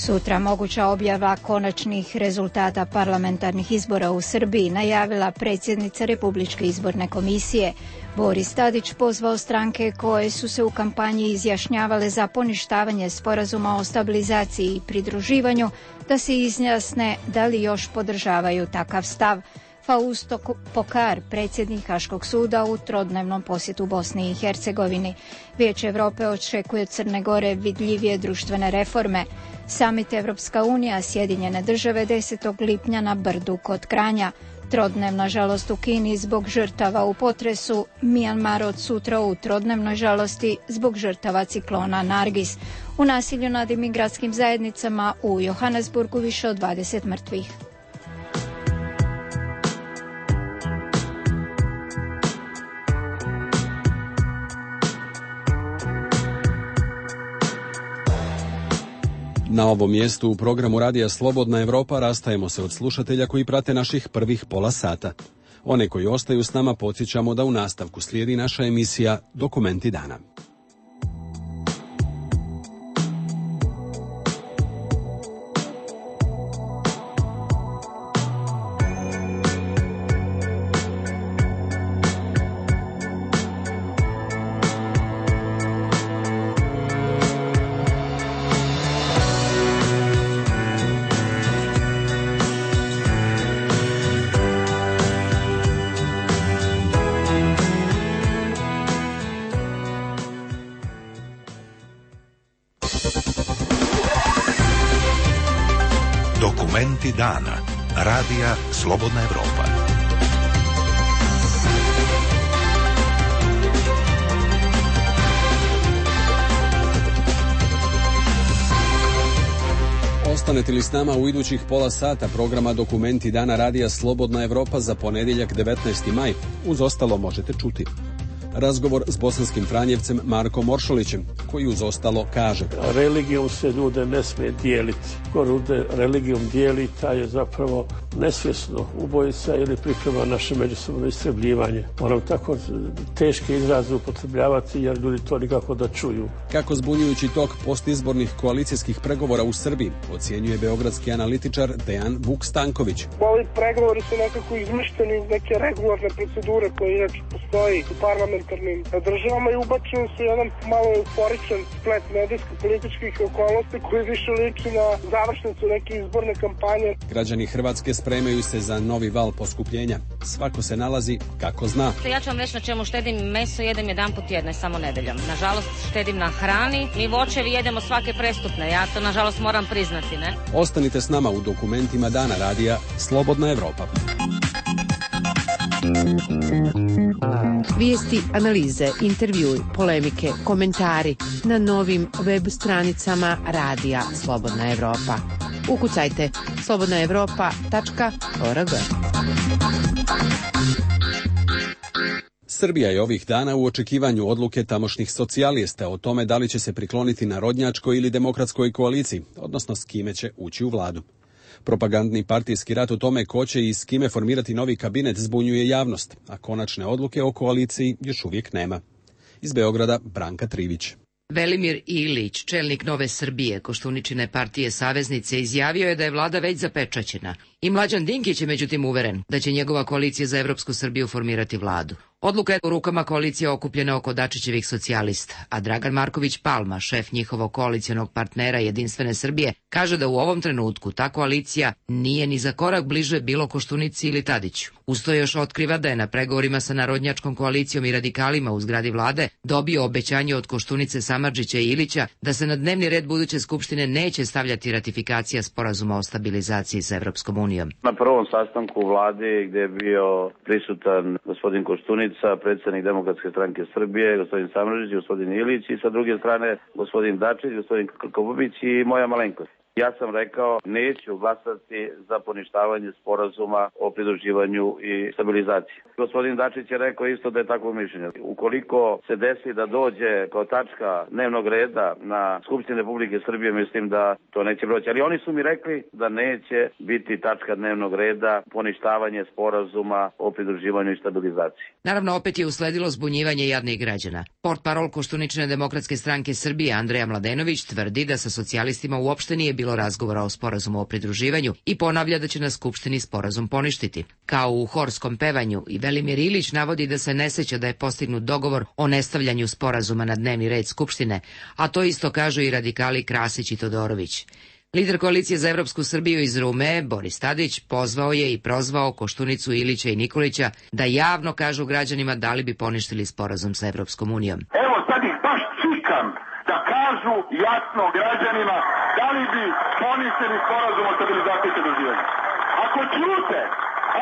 Sutra moguća objava konačnih rezultata parlamentarnih izbora u Srbiji, najavila predsjednica Republičke izborne komisije. Boris Tadić pozvao stranke koje su se u kampanji izjašnjavale za poništavanje sporazuma o stabilizaciji i pridruživanju da se izjasne da li još podržavaju takav stav. Fausto Pokar, predsjednik Haškog suda u trodnevnom posjetu Bosni i Hercegovini. Vijeće Europe očekuje od Crne Gore vidljivije društvene reforme. Samit Evropska unija, Sjedinjene države desetog lipnja na Brdu kod Kranja. Trodnevna žalost u Kini zbog žrtava u potresu. Mijanmar od sutra u trodnevnoj žalosti zbog žrtava ciklona Nargis. U nasilju nad imigratskim zajednicama u Johannesburgu više od dvadeset mrtvih. Na ovom mjestu u programu Radija Slobodna Evropa rastajemo se od slušatelja koji prate naših prvih pola sata. One koji ostaju s nama podsjećamo da u nastavku slijedi naša emisija Dokumenti dana. Dokumenti dana. Radija Slobodna Evropa. Ostanete li s nama u idućih pola sata programa Dokumenti dana Radija Slobodna Evropa za ponedjeljak devetnaesti maj? Uz ostalo možete čuti razgovor s bosanskim Franjevcem Markom Oršolićem, koji uz ostalo kaže: religijom se ljude ne smije dijeliti. Ko ljude religijom dijeli, taj je zapravo nesvjesno ubojica ili priprema naše međusobno istrebljivanje. Moram tako teške izraze upotrebljavati jer ljudi to nikako da čuju. Kako zbunjujući tok postizbornih koalicijskih pregovora u Srbiji ocjenjuje beogradski analitičar Dejan Vuk-Stanković. Ovi pregovori su nekako izmišteni iz neke regularne procedure koje inače postoji u parlamentarnim državama i ubačeni su jedan malo euforičan splet medijsko-političkih okolnosti koji više liči na završnicu neke izborne kampanje. Građani Hrvatske spremaju se za novi val poskupljenja. Svako se nalazi kako zna. Ja ću vam reći na čemu štedim. Meso jedem jedan put tjedno i samo nedeljom. Nažalost štedim na hrani. Mi voćevi jedemo svake prestupne. Ja to nažalost moram priznati, ne? Ostanite s nama u Dokumentima dana Radija Slobodna Evropa. Vijesti, analize, intervjui, polemike, komentari na novim web stranicama Radija Slobodna Evropa. Ukucajte slobodna evropa tačka org. Srbija je ovih dana u očekivanju odluke tamošnjih socijalista o tome da li će se prikloniti narodnjačkoj ili demokratskoj koaliciji, odnosno s kime će ući u vladu. Propagandni partijski rat o tome ko će i s kime formirati novi kabinet zbunjuje javnost, a konačne odluke o koaliciji još uvijek nema. Iz Beograda Branka Trivić. Velimir Ilić, čelnik Nove Srbije, Koštuničine partije Saveznice, izjavio je da je vlada već zapečaćena. I Mlađan Dinkić je međutim uveren da će njegova koalicija za Evropsku Srbiju formirati vladu. Odluka je u rukama koalicije okupljena oko Dačićevih socijalista, a Dragan Marković Palma, šef njihovog koalicionog partnera Jedinstvene Srbije, kaže da u ovom trenutku ta koalicija nije ni za korak bliže bilo Koštunici ili Tadiću. Uz to još otkriva da je na pregovorima sa Narodnjačkom koalicijom i radikalima u zgradi vlade dobio obećanje od Koštunice, Samardžića i Ilića da se na dnevni red buduće skupštine neće stavljati ratifikacija sporazuma o stabilizaciji sa Evropskom unijom. Na prvom sastanku vlade gdje je bio prisutan gospodin Koštunica, predsjednik Demokratske stranke Srbije, gospodin Samardžić, gospodin Ilić i sa druge strane gospodin Dačić, gospodin Krkobabić i moja malenkost. Ja sam rekao, neću glasati za poništavanje sporazuma o pridruživanju i stabilizaciji. Gospodin Dačić je rekao isto da je takvo mišljenje. Ukoliko se desi da dođe kao tačka dnevnog reda na Skupštini Republike Srbije, mislim da to neće proći. Ali oni su mi rekli da neće biti tačka dnevnog reda poništavanje sporazuma o pridruživanju i stabilizaciji. Naravno, opet je usledilo zbunjivanje jadnih građana. Portparol Koštuničine Demokratske stranke Srbije Andreja Mladenović tvrdi da sa socijalistima uopšte nije bilo razgovora o sporazumu o pridruživanju i ponavlja da će na Skupštini sporazum poništiti. Kao u horskom pevanju, i Velimir Ilić navodi da se ne seća da je postignut dogovor o nestavljanju sporazuma na dnevni red Skupštine, a to isto kažu i radikali Krasić i Todorović. Lider koalicije za Evropsku Srbiju iz Rume, Boris Tadić, pozvao je i prozvao Koštunicu, Ilića i Nikolića da javno kažu građanima da li bi poništili sporazum sa Evropskom unijom. Evo sad ih baš čikam da kažu jasno građanima da li bi poništili sporazum o stabilizaciji i pridruživanju. Ako ćute,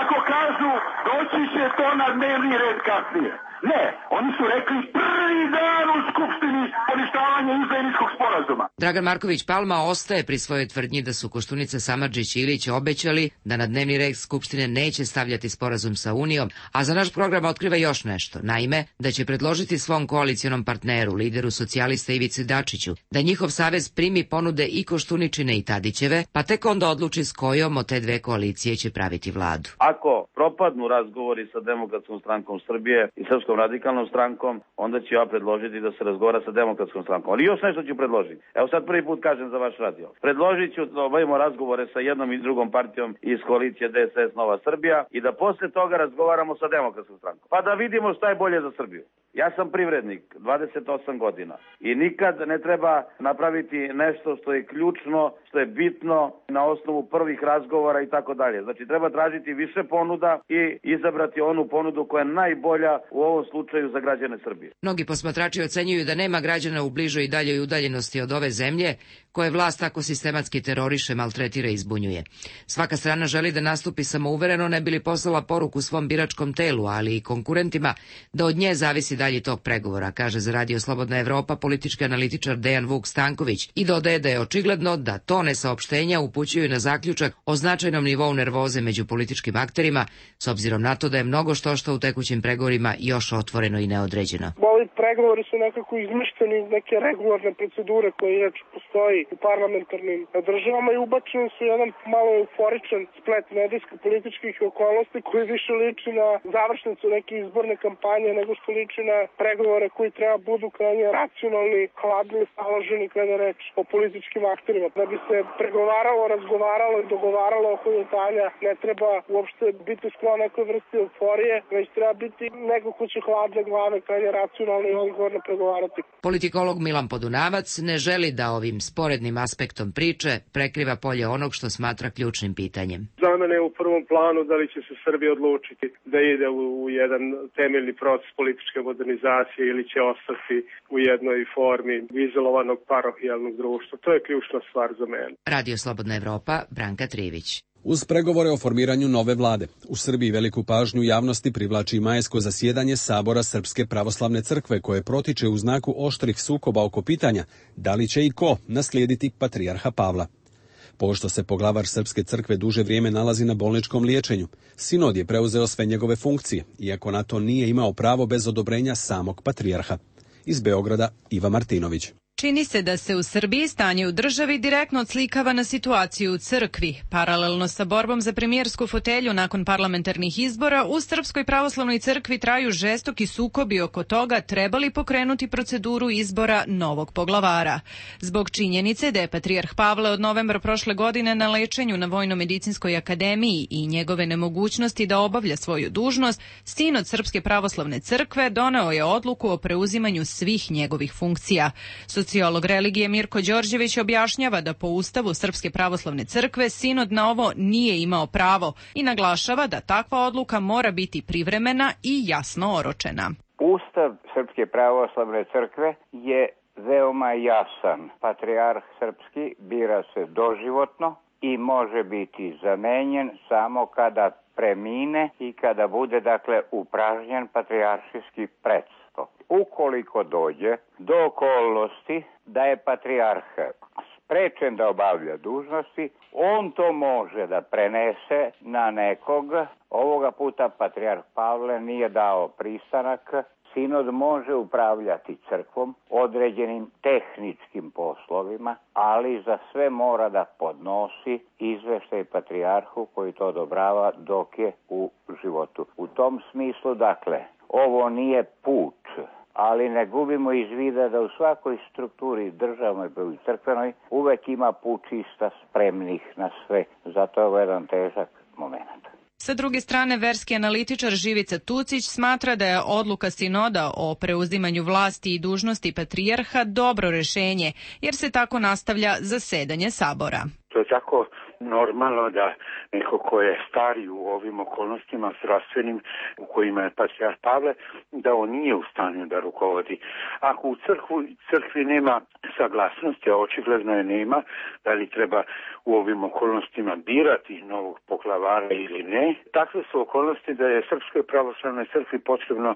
ako kažu doći će to na dnevni red kasnije. Ne, oni su rekli prvi dan u Skupštini poništavanje izdajničkog sporazuma. Dragan Marković Palma ostaje pri svojoj tvrdnji da su Koštunica, Samardžić i Ilić obećali da na dnevni red Skupštine neće stavljati sporazum sa Unijom, a za naš program otkriva još nešto. Naime, da će predložiti svom koalicionom partneru, lideru socijalista Ivici Dačiću, da njihov savez primi ponude i Koštuničine i Tadićeve, pa tek onda odluči s kojom od te dve koalicije će praviti vladu. Ako propadnu razgovori sa Demokratskom strankom Srbije i Srpskom radikalnom strankom, onda ću ja predložiti da se razgovara sa Demokratskom strankom. Ali još nešto ću predložiti. Evo sad prvi put kažem za vaš radio. Predložit ću da obavimo razgovore sa jednom i drugom partijom iz koalicije D S S Nova Srbija i da posle toga razgovaramo sa Demokratskom strankom. Pa da vidimo šta je bolje za Srbiju. Ja sam privrednik, dvadeset osam godina i nikad ne treba napraviti nešto što je ključno, što je bitno na osnovu prvih razgovora i tako dalje. Znači treba tražiti više ponuda i izabrati onu ponudu koja je najbolja u ovom slučaju za građane Srbije. Mnogi posmatrači ocenjuju da nema građana u bližoj i daljoj udaljenosti od ove zemlje koje vlast tako sistematski teroriše, maltretira i izbunjuje. Svaka strana želi da nastupi samouvereno, ne bi li poslala poruku svom biračkom telu, ali i konkurentima da od nje zavisi dalji tok pregovora, kaže za Radio Slobodna Evropa politički analitičar Dejan Vuk Stanković i dodaje da je očigledno da tone saopštenja upućuju na zaključak o značajnom nivou nervoze među političkim akterima, s obzirom na to da je mnogo što što u tekućim pregovorima još otvoreno i neodređeno. Ovi pregovori su nekako izmišteni iz neke regularne procedure koje inače postoji u parlamentarnim državama i ubačeni su jedan malo euforičan splet medijsko-političkih okolnosti koji više liči na završnicu neke izborne kampanje nego što liči na pregovore koji treba budu krajnje racionalni, hladni, staloženi kada je reč o političkim akterima. Da bi se pregovaralo, razgovaralo i dogovaralo oko detalja, ne treba uopšte biti sklon nekoj vrsti euforije, već treba biti neko ko će hladne glave krajnje racionalno i odgovorno pregovarati. Politikolog Milan Podunavac ne želi da ovim sporednim aspektom priče prekriva polje onog što smatra ključnim pitanjem. Za mene je u prvom planu da li će se Srbija odlučiti da ide u, u jedan temeljni proces političke modernizacije ili će ostati u jednoj formi izolovanog parohijalnog društva. To je ključna stvar za mene. Radio Slobodna Evropa, Branka Trivić. Uz pregovore o formiranju nove vlade, u Srbiji veliku pažnju javnosti privlači majsko zasjedanje Sabora Srpske pravoslavne crkve koje protiče u znaku oštrih sukoba oko pitanja da li će i ko naslijediti patrijarha Pavla. Pošto se poglavar Srpske crkve duže vrijeme nalazi na bolničkom liječenju, sinod je preuzeo sve njegove funkcije, iako na to nije imao pravo bez odobrenja samog patrijarha. Iz Beograda Iva Martinović. Čini se da se u Srbiji stanje u državi direktno odslikava na situaciju u crkvi. Paralelno sa borbom za premijersku fotelju nakon parlamentarnih izbora, u Srpskoj pravoslavnoj crkvi traju žestoki sukobi oko toga treba li pokrenuti proceduru izbora novog poglavara. Zbog činjenice da je patrijarh Pavle od novembra prošle godine na lečenju na Vojno-medicinskoj akademiji i njegove nemogućnosti da obavlja svoju dužnost, sinod Srpske pravoslavne crkve doneo je odluku o preuzimanju svih njegovih funkcija. Sociolog religije Mirko Đorđević objašnjava da po Ustavu Srpske pravoslavne crkve sinod na ovo nije imao pravo i naglašava da takva odluka mora biti privremena i jasno oročena. Ustav Srpske pravoslavne crkve je veoma jasan. Patrijarh srpski bira se doživotno i može biti zamenjen samo kada premine i kada bude dakle upražnjen patrijaršijski presto. Ukoliko dođe do okolnosti da je patrijarh sprečen da obavlja dužnosti, on to može da prenese na nekog. Ovoga puta patrijarh Pavle nije dao pristanak. Sinod može upravljati crkvom određenim tehničkim poslovima, ali za sve mora da podnosi izveštaj patrijarhu koji to odobrava dok je u životu. U tom smislu, dakle, ovo nije put, ali ne gubimo iz vida da u svakoj strukturi državnoj i crkvenoj uvek ima pučista spremnih na sve. Zato je ovo jedan težak moment. Sa druge strane, verski analitičar Živica Tucić smatra da je odluka sinoda o preuzimanju vlasti i dužnosti patrijarha dobro rešenje, jer se tako nastavlja zasedanje Sabora. To je tako normalno da neko ko je stari u ovim okolnostima zdravstvenim u kojima je patrijarh Pavle, da on nije u stanju da rukovodi. Ako u crkvu, crkvi nema saglasnosti, a očigledno je nema, da li treba u ovim okolnostima birati novog poglavara ili ne, takve su okolnosti da je Srpskoj pravoslavnoj crkvi potrebno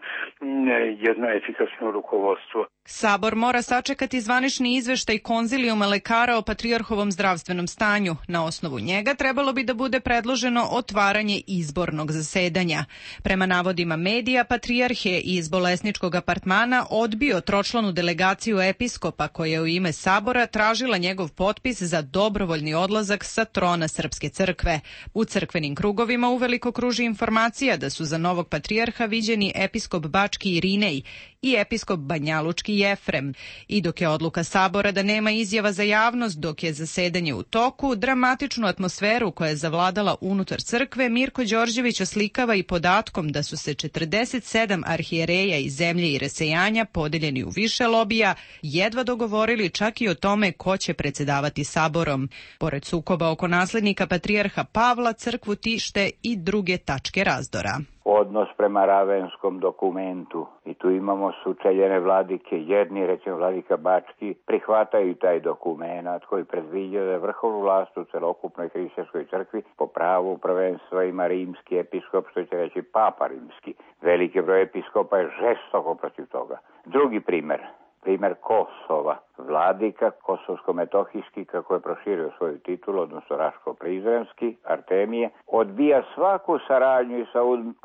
jedno efikasno rukovodstvo. Sabor mora sačekati zvanični izveštaj konzilijuma lekara o patrijarhovom zdravstvenom stanju. Na osnovu njega trebalo bi da bude predloženo otvaranje izbornog zasedanja. Prema navodima medija, patrijarh je iz bolesničkog apartmana odbio tročlanu delegaciju episkopa koja je u ime Sabora tražila njegov potpis za dobrovoljni odlazak sa trona Srpske crkve. U crkvenim krugovima uveliko kruži informacija da su za novog patrijarha viđeni episkop Bački Irinej i episkop Banjalučki Jefrem. I dok je odluka Sabora da nema izjava za javnost dok je zasedanje u toku, dramatičnu atmosferu koja je zavladala unutar crkve Mirko Đorđević oslikava i podatkom da su se četrdeset sedam arhijereja iz zemlje i rasejanja, podeljeni u više lobija, jedva dogovorili čak i o tome ko će predsedavati Saborom. Pored sukoba oko naslednika patrijarha Pavla, crkvu tište i druge tačke razdora. odnos prema Ravenskom dokumentu. I tu imamo sučeljene vladike. Jedni, recimo vladika Bački, prihvataju taj dokument koji predviđa da je vrhovnu vlast u celokupnoj hrišćanskoj crkvi po pravu prvenstva ima rimski episkop, što će reći papa rimski. Veliki broj episkopa je žestoko protiv toga. Drugi primer. Primer Kosova. Vladika kosovsko-metohijski, kako je proširio svoju titulu, odnosno Raško-Prizrenski, Artemije, odbija svaku saradnju i sa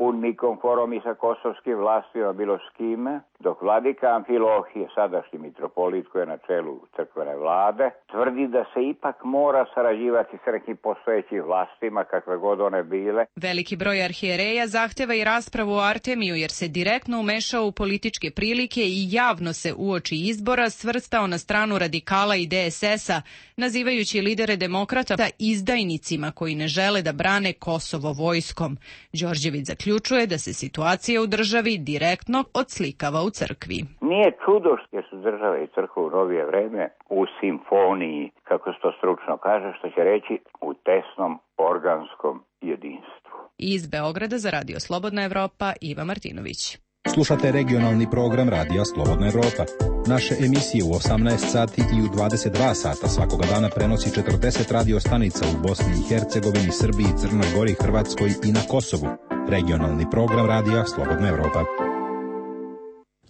Unmikom Forom i sa kosovskim vlastima, bilo s kime, dok vladika Amfilohije, sadašnji mitropolit koji je na čelu crkvene vlade, tvrdi da se ipak mora sarađivati s nekim postojećim vlastima, kakve god one bile. Veliki broj arhijereja zahteva i raspravu o Artemiju jer se direktno umešao u političke prilike i javno se uoči izbora svrstao na stranu radikala i D S S-a, nazivajući lidere demokrata izdajnicima koji ne žele da brane Kosovo vojskom. Đorđević zaključuje da se situacija u državi direktno odslikava u crkvi. Nije čudo što su države i crkva u novije vreme u simfoniji, kako se to stručno kaže, što će reći u tesnom organskom jedinstvu. Iz Beograda za Radio Slobodna Evropa, Iva Martinović. Slušate regionalni program Radija Slobodna Evropa. Naše emisije u osamnaest sati i u dvadeset dva sata svakoga dana prenosi četrdeset radio stanica u Bosni i Hercegovini, Srbiji, Crnoj Gori, Hrvatskoj i na Kosovu. Regionalni program Radija Slobodna Evropa.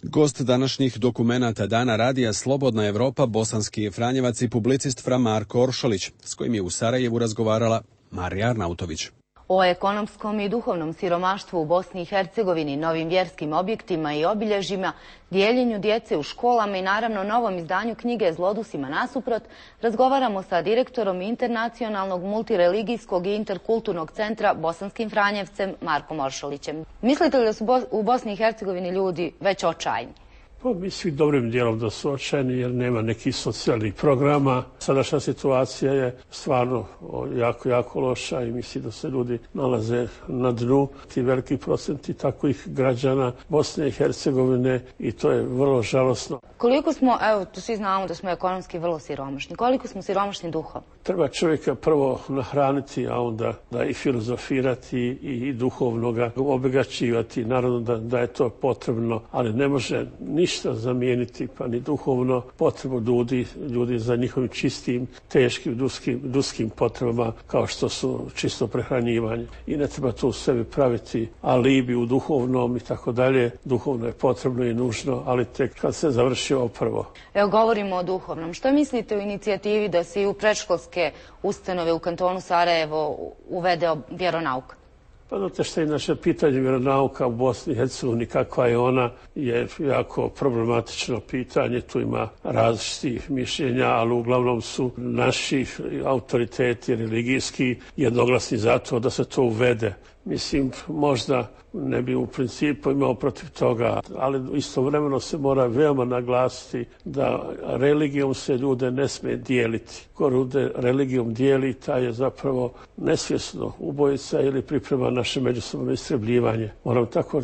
Gost današnjih dokumenata Dana Radija Slobodna Evropa, bosanski je Franjevac i publicist Fra Marko Oršolić, s kojim je u Sarajevu razgovarala Marija Arnautović. O ekonomskom i duhovnom siromaštvu u Bosni i Hercegovini, novim vjerskim objektima i obilježjima, dijeljenju djece u školama i naravno novom izdanju knjige Zlodusima nasuprot, razgovaramo sa direktorom Internacionalnog multireligijskog i interkulturnog centra Bosanskim Franjevcem Markom Oršolićem. Mislite li da su u Bosni i Hercegovini ljudi već očajni? Pa mislim dobrim dijelom da su očajni jer nema nekih socijalnih programa. Sadašnja situacija je stvarno jako, jako loša i mislim da se ljudi nalaze na dnu. Ti veliki procenti takvih građana Bosne i Hercegovine i to je vrlo žalosno. Koliko smo, evo, to svi znamo da smo ekonomski vrlo siromašni, koliko smo siromašni duhom? Treba čovjeka prvo nahraniti, a onda da i filozofirati i duhovno ga obogaćivati. Naravno da, da je to potrebno, ali ne može ništa zamijeniti, pa ni duhovno potrebu ljudi, ljudi za njihovim čistim, teškim, duskim, duskim potrebama, kao što su čisto prehranjivanje. I ne treba tu sebi praviti alibi u duhovnom i tako dalje. Duhovno je potrebno i nužno, ali tek kad se završi ovo prvo. Evo, govorimo o duhovnom. Što mislite o inicijativi da se i u predškolske ustanove u kantonu Sarajevo uvede vjeronauk? Pa znate što je naše pitanje vjeronauka u Bosni i Hercegovini, kakva je ona, je jako problematično pitanje. Tu ima različitih mišljenja, ali uglavnom su naši autoriteti religijski jednoglasni za to da se to uvede. Mislim, možda ne bi u principu imao protiv toga, ali istovremeno se mora veoma naglasiti da religijom se ljude ne smije dijeliti. Ko ljude religijom dijeli, taj je zapravo nesvjesno ubojica ili priprema naše međusobno istrebljivanje. Moram tako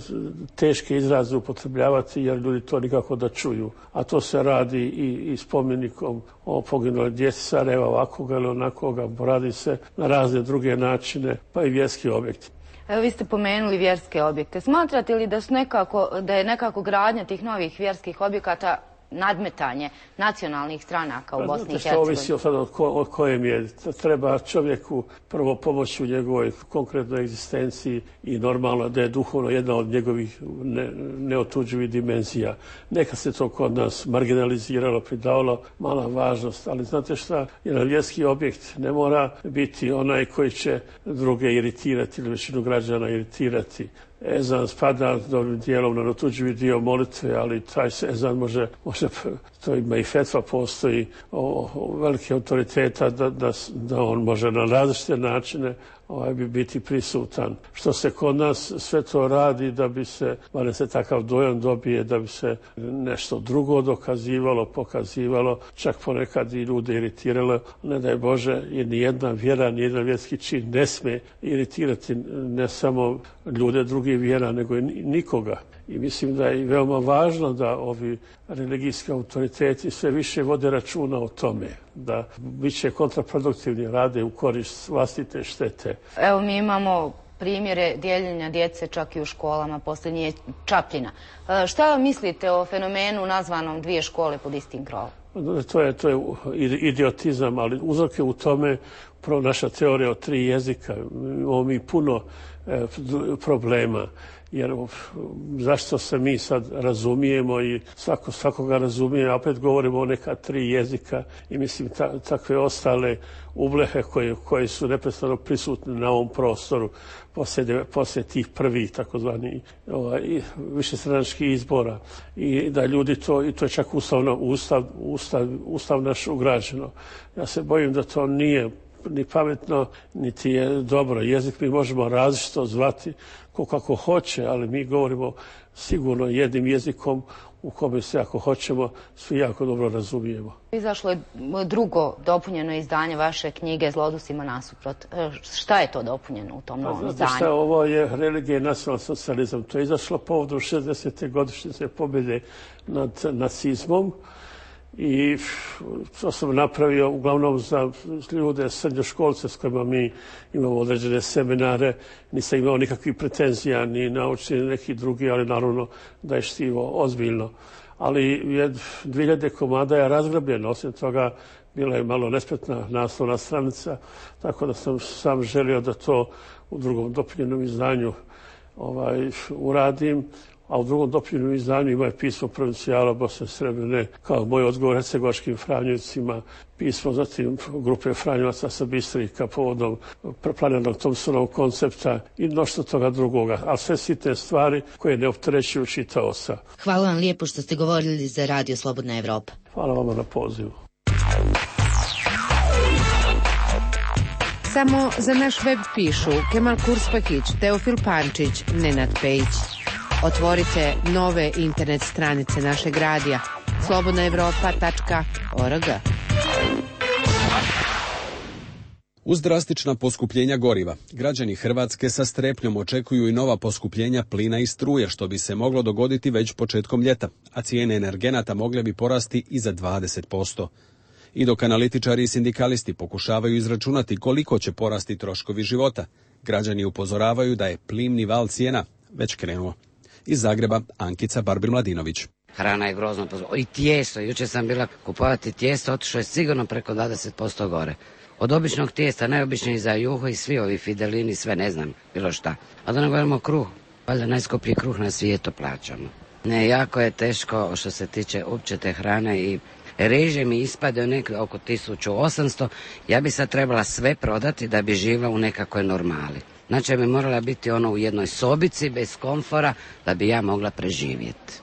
teške izraze upotrebljavati jer ljudi to nikako da čuju. A to se radi i, i spomenikom o poginuloj djeci Sarajeva, ovakvoga ili onakoga, radi se na razne druge načine, pa i vjerski objekti. Evo, vi ste pomenuli vjerske objekte. Smatrate li da, su nekako, da je nekako gradnja tih novih vjerskih objekata nadmetanje nacionalnih stranaka u Bosni i Hercegovini? To ovisi sad od, ko, od kojem je. Treba čovjeku prvo pomoći u njegovoj konkretnoj egzistenciji i normalno da je duhovno jedna od njegovih ne, neotuđivih dimenzija. Neka se to kod nas marginaliziralo, pridavalo mala važnost, ali znate šta, jedan vjerski objekt ne mora biti onaj koji će druge iritirati ili većinu građana iritirati. Ezan spada dobrim dijelom na neotuđivi dio molitve, ali taj se ezan može, može to ima i fetva, postoji o, o velike autoriteta da, da, da on može na različite načine ovaj, bi biti prisutan. Što se kod nas sve to radi da bi se, barem se takav dojam dobije, da bi se nešto drugo dokazivalo, pokazivalo, čak ponekad i ljude iritiralo. Ne daj Bože, jer nijedna vjera, nijedan vjerski čin ne smije iritirati ne samo ljude drugih vjera, nego i nikoga. I mislim da je veoma važno da ovi religijski autoriteti sve više vode računa o tome, da bit će kontraproduktivni, rade u korist vlastite štete. Evo, mi imamo primjere dijeljenja djece čak i u školama, posljednji je Čapljina. Šta mislite o fenomenu nazvanom dvije škole pod istim krovom? To je, to je idiotizam, ali uzrok je u tome prvo naša teorija o tri jezika. Imamo mi puno e, problema, jer zašto se mi sad razumijemo i svako svakoga razumije, a opet govorimo o neka tri jezika i mislim ta, takve ostale ublehe koje, koje su neprestano prisutne na ovom prostoru poslije, poslije tih prvih takozvani ovaj, višestranačkih izbora i da ljudi to, i to je čak ustavno, ustav, ustav, ustav naš ugrađeno. Ja se bojim da to nije ni pametno, niti je dobro. Jezik mi možemo različito zvati ko kako hoće, ali mi govorimo sigurno jednim jezikom u kome se, ako hoćemo, svi jako dobro razumijemo. Izašlo je drugo dopunjeno izdanje vaše knjige Zlodusima nasuprot. Šta je to dopunjeno u tom novom izdanju? Šta, ovo je Religija i nacionalni socijalizam. To je izašlo povodom šezdesete godišnjice pobjede nad nacizmom. I to sam napravio uglavnom za ljude, srednjoškolce s kojima mi imamo određene seminare. Nisam imao nikakvih pretenzija ni naučni ni neki drugi, ali naravno da je štivo ozbiljno. Ali je dvije hiljade komada je razgrabljeno, osim toga bila je malo nespretna naslovna stranica, tako da sam sam želio da to u drugom dopunjenom izdanju ovaj, uradim. A u drugom dopunjenom izdanju ima je pismo provincijala Bosne i Srebrene, kao moj odgovor hercegovačkim Franjevcima, pismo zatim grupe Franjevaca sa Bistrika povodom planiranog Thompsonovog koncepta i mnoštvo toga drugoga, ali sve sitne stvari koje ne opterećuju čitaoca. Hvala vam lijepo što ste govorili za Radio Slobodna Evropa. Hvala vama na pozivu. Samo za naš web pišu Kemal Kurspakić, Teofil Pančić, Nenad Pejić. Otvorite nove internet stranice našeg radija slobodna evropa tačka org. Uz drastična poskupljenja goriva, građani Hrvatske sa strepnjom očekuju i nova poskupljenja plina i struje, što bi se moglo dogoditi već početkom ljeta, a cijene energenata mogle bi porasti i za dvadeset posto. I dok analitičari i sindikalisti pokušavaju izračunati koliko će porasti troškovi života, građani upozoravaju da je plimni val cijena već krenuo. Iz Zagreba, Ankica Barbir-Mladinović. Hrana je grozno pozvala. I tijesto, jučer sam bila kupovati tijesto, otišlo je sigurno preko dvadeset posto gore. Od običnog tijesta, najobičniji za juho i svi ovi fidelini, sve ne znam, bilo šta. A da ne govorimo kruh, valjda najskuplji kruh na svijetu plaćamo. Ne, jako je teško što se tiče uopće te hrane i reže mi ispade nekde oko tisuću osamsto. Ja bi sad trebala sve prodati da bi živjela u nekakvoj normali. Znači bi morala biti ono u jednoj sobici bez komfora da bi ja mogla preživjeti.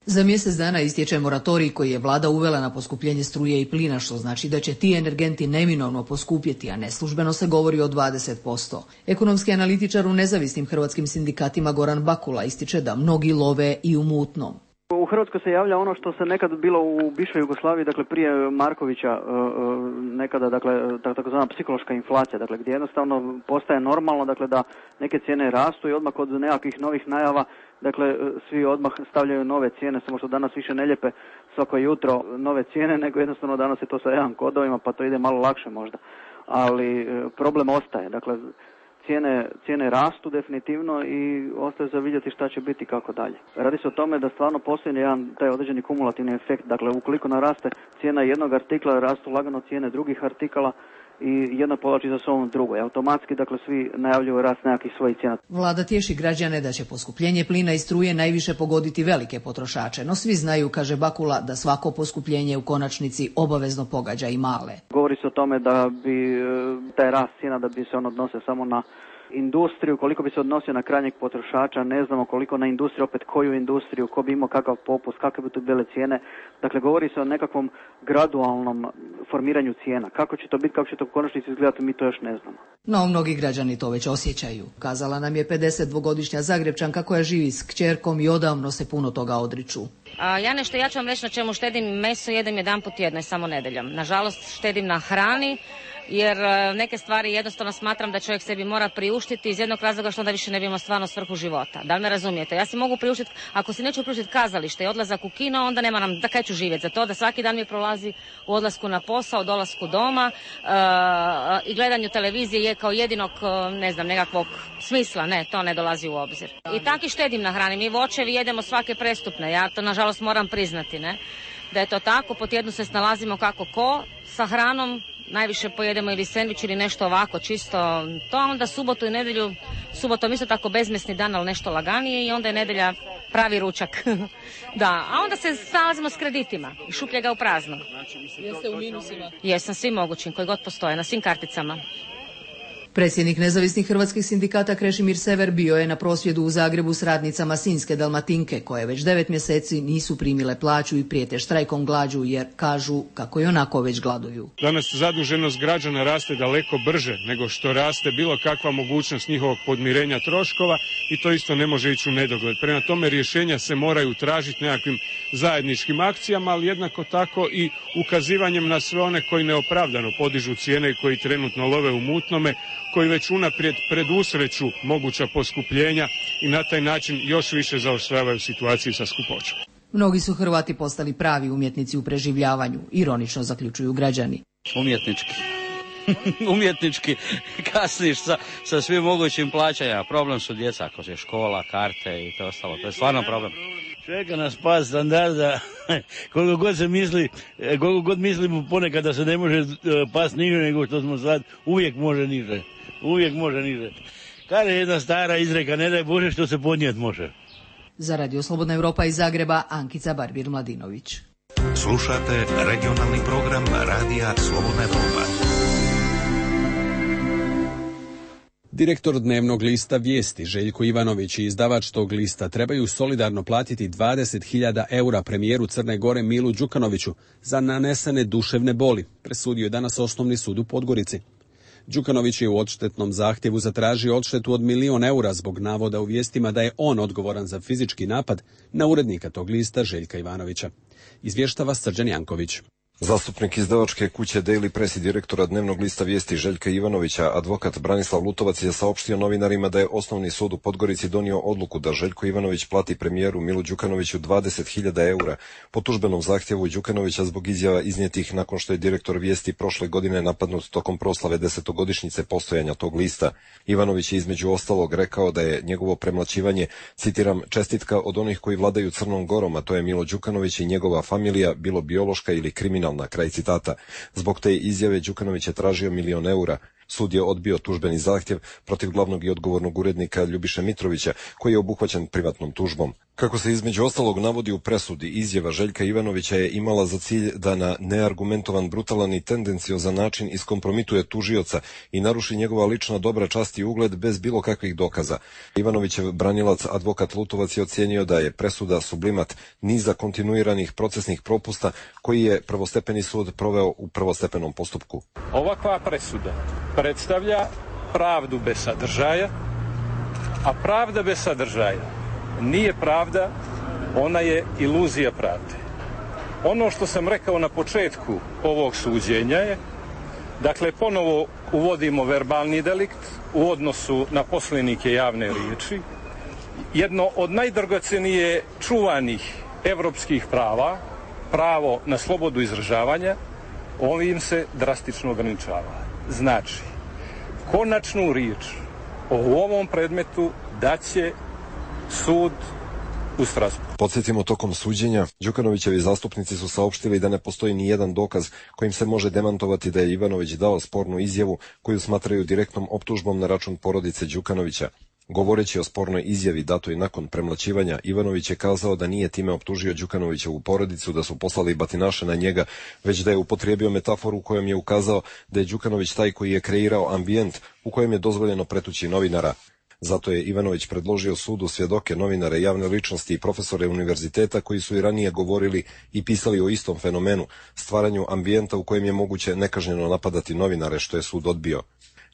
Za mjesec dana istječe moratorij koji je vlada uvela na poskupljenje struje i plina, što znači da će ti energenti neminovno poskupjeti, a neslužbeno se govori o dvadeset posto. Ekonomski analitičar u nezavisnim hrvatskim sindikatima Goran Bakula ističe da mnogi love i u mutnom. U Hrvatskoj se javlja ono što se nekad bilo u bivšoj Jugoslaviji, dakle prije Markovića, nekada, dakle, takozvana psihološka inflacija, dakle gdje jednostavno postaje normalno, dakle da neke cijene rastu i odmah od nekakvih novih najava, dakle svi odmah stavljaju nove cijene, samo što danas više ne lijepe svako jutro nove cijene, nego jednostavno danas je to sa jedan kodovima, pa to ide malo lakše možda. Ali problem ostaje, dakle Cijene, cijene rastu definitivno i ostaje za vidjeti šta će biti kako dalje. Radi se o tome da stvarno postoji jedan taj određeni kumulativni efekt. Dakle, ukoliko naraste cijena jednog artikla, rastu lagano cijene drugih artikala i jedno povlači za sobom drugo. I automatski, dakle, svi najavljuju rast nekakvih svojih cijena. Vlada tješi građane da će poskupljenje plina i struje najviše pogoditi velike potrošače, no svi znaju, kaže Bakula, da svako poskupljenje u konačnici obavezno pogađa i male. Govori se o tome da bi taj rast cijena da bi se on odnosio samo na industriju, koliko bi se odnosio na krajnjeg potrošača, ne znamo koliko na industriju, opet koju industriju, ko bi imao kakav popust, kakve bi tu bile cijene. Dakle, govori se o nekakvom gradualnom formiranju cijena. Kako će to biti, kako će to u konačnici izgledati, mi to još ne znamo. No, mnogi građani to već osjećaju. Kazala nam je pedesetdvogodišnja Zagrebčanka koja živi s kćerkom i odavno se puno toga odriču. A, ja nešto, ja ću vam reći na čemu štedim. Meso jedem jedan put tjedno i samo nedeljom. Nažalost, štedim na hrani, jer neke stvari jednostavno smatram da čovjek sebi mora priuštiti iz jednog razloga što onda više ne bi imao stvarno svrhu života. Da li me razumijete? Ja si mogu priuštiti, ako si neću priuštiti kazalište i odlazak u kino, onda nema nam, da kaj ću živjeti za to, da svaki dan mi prolazi u odlasku na posao, dolasku doma uh, i gledanju televizije je kao jedinog, ne znam, nekakvog smisla, ne, to ne dolazi u obzir. I tako i štedim na hrani, mi voćevi jedemo svake prestupne, ja to nažalost moram priznati, ne, da je to tako, po tjednu se snalazimo kako ko, sa hranom najviše pojedemo ili sendvič ili nešto ovako, čisto to, onda subotu i nedjelju, subotom isto tako bezmesni dan, ali nešto laganije i onda je nedjelja pravi ručak. Da, a onda se snalazimo s kreditima i šuplje ga u prazno. Jeste u minusima? Jesam, svim mogućim, koji god postoje, na svim karticama. Predsjednik nezavisnih hrvatskih sindikata Krešimir Sever bio je na prosvjedu u Zagrebu s radnicama Sinjske Dalmatinke, koje već devet mjeseci nisu primile plaću i prijete štrajkom glađu jer kažu kako i onako već gladuju. Danas zaduženost građana raste daleko brže nego što raste bilo kakva mogućnost njihovog podmirenja troškova i to isto ne može ići u nedogled. Prema tome rješenja se moraju tražiti nekakvim zajedničkim akcijama, ali jednako tako i ukazivanjem na sve one koji neopravdano podižu cijene i koji trenutno love u mutnome, koji već unaprijed predusreću moguća poskupljenja i na taj način još više zaoštravaju situaciju sa skupoćom. Mnogi su Hrvati postali pravi umjetnici u preživljavanju, ironično zaključuju građani. Umjetnički. Umjetnički kasniš sa, sa svim mogućim plaćanja. Problem su djeca, ako je škola, karte i to ostalo. To je stvarno problem. Čeka nas pad standarda, koliko god se misli, koliko god mislimo ponekad da se ne može past niže nego što smo sad, uvijek može niže, uvijek može niže. Kada je jedna stara izreka, ne daj Bože što se podnijet može. Za Radio Slobodna Evropa iz Zagreba, Ankica Barbir-Mladinović. Slušate regionalni program Radija Slobodna Evropa. Direktor dnevnog lista Vijesti Željko Ivanović i izdavač tog lista trebaju solidarno platiti dvadeset hiljada eura premijeru Crne Gore Milu Đukanoviću za nanesene duševne boli, presudio je danas Osnovni sud u Podgorici. Đukanović je u odštetnom zahtjevu zatražio odštetu od milion eura zbog navoda u vijestima da je on odgovoran za fizički napad na urednika tog lista Željka Ivanovića. Izvještava Srđan Janković. Zastupnik izdavačke kuće Daily Press i direktora dnevnog lista Vijesti Željka Ivanovića, advokat Branislav Lutovac, je saopštio novinarima da je Osnovni sud u Podgorici donio odluku da Željko Ivanović plati premijeru Milu Đukanoviću dvadeset hiljada eura po tužbenom zahtjevu Đukanovića zbog izjava iznijetih nakon što je direktor Vijesti prošle godine napadnut tokom proslave desetogodišnjice postojanja tog lista. Ivanović je između ostalog rekao da je njegovo premlaćivanje, citiram, čestitka od onih koji vladaju Crnom Gorom, a to je Milo Đukanović i njegova familija, bilo biološka ili kriminalna. Na kraj citata. Zbog te izjave Đukanović je tražio milion eura. Sud je odbio tužbeni zahtjev protiv glavnog i odgovornog urednika Ljubiše Mitrovića, koji je obuhvaćen privatnom tužbom. Kako se između ostalog navodi u presudi, izjava Željka Ivanovića je imala za cilj da na neargumentovan, brutalan i tendenciozan način iskompromituje tužioca i naruši njegova lična dobra čast i ugled bez bilo kakvih dokaza. Ivanovićev branilac, advokat Lutovac, je ocijenio da je presuda sublimat niza kontinuiranih procesnih propusta koji je prvostepeni sud proveo u prvostepenom postupku. Ovakva presuda predstavlja pravdu bez sadržaja, a pravda bez sadržaja nije pravda, ona je iluzija pravde. Ono što sam rekao na početku ovog suđenja je, dakle, ponovo uvodimo verbalni delikt u odnosu na poslenike javne riječi. Jedno od najdragocenije čuvanih evropskih prava, pravo na slobodu izražavanja, ovim se drastično ograničava. Znači, konačnu riječ o ovom predmetu daće sud u Strasbourgu. Podsjetimo, tokom suđenja Đukanovićevi zastupnici su saopštili da ne postoji ni jedan dokaz kojim se može demantovati da je Ivanović dao spornu izjavu koju smatraju direktnom optužbom na račun porodice Đukanovića. Govoreći o spornoj izjavi datoj nakon premlaćivanja, Ivanović je kazao da nije time optužio Đukanovićevu porodicu da su poslali batinaše na njega, već da je upotrijebio metaforu u kojom je ukazao da je Đukanović taj koji je kreirao ambijent u kojem je dozvoljeno pretući novinara. Zato je Ivanović predložio sudu svjedoke, novinare, javne ličnosti i profesore univerziteta koji su i ranije govorili i pisali o istom fenomenu, stvaranju ambijenta u kojem je moguće nekažnjeno napadati novinare, što je sud odbio.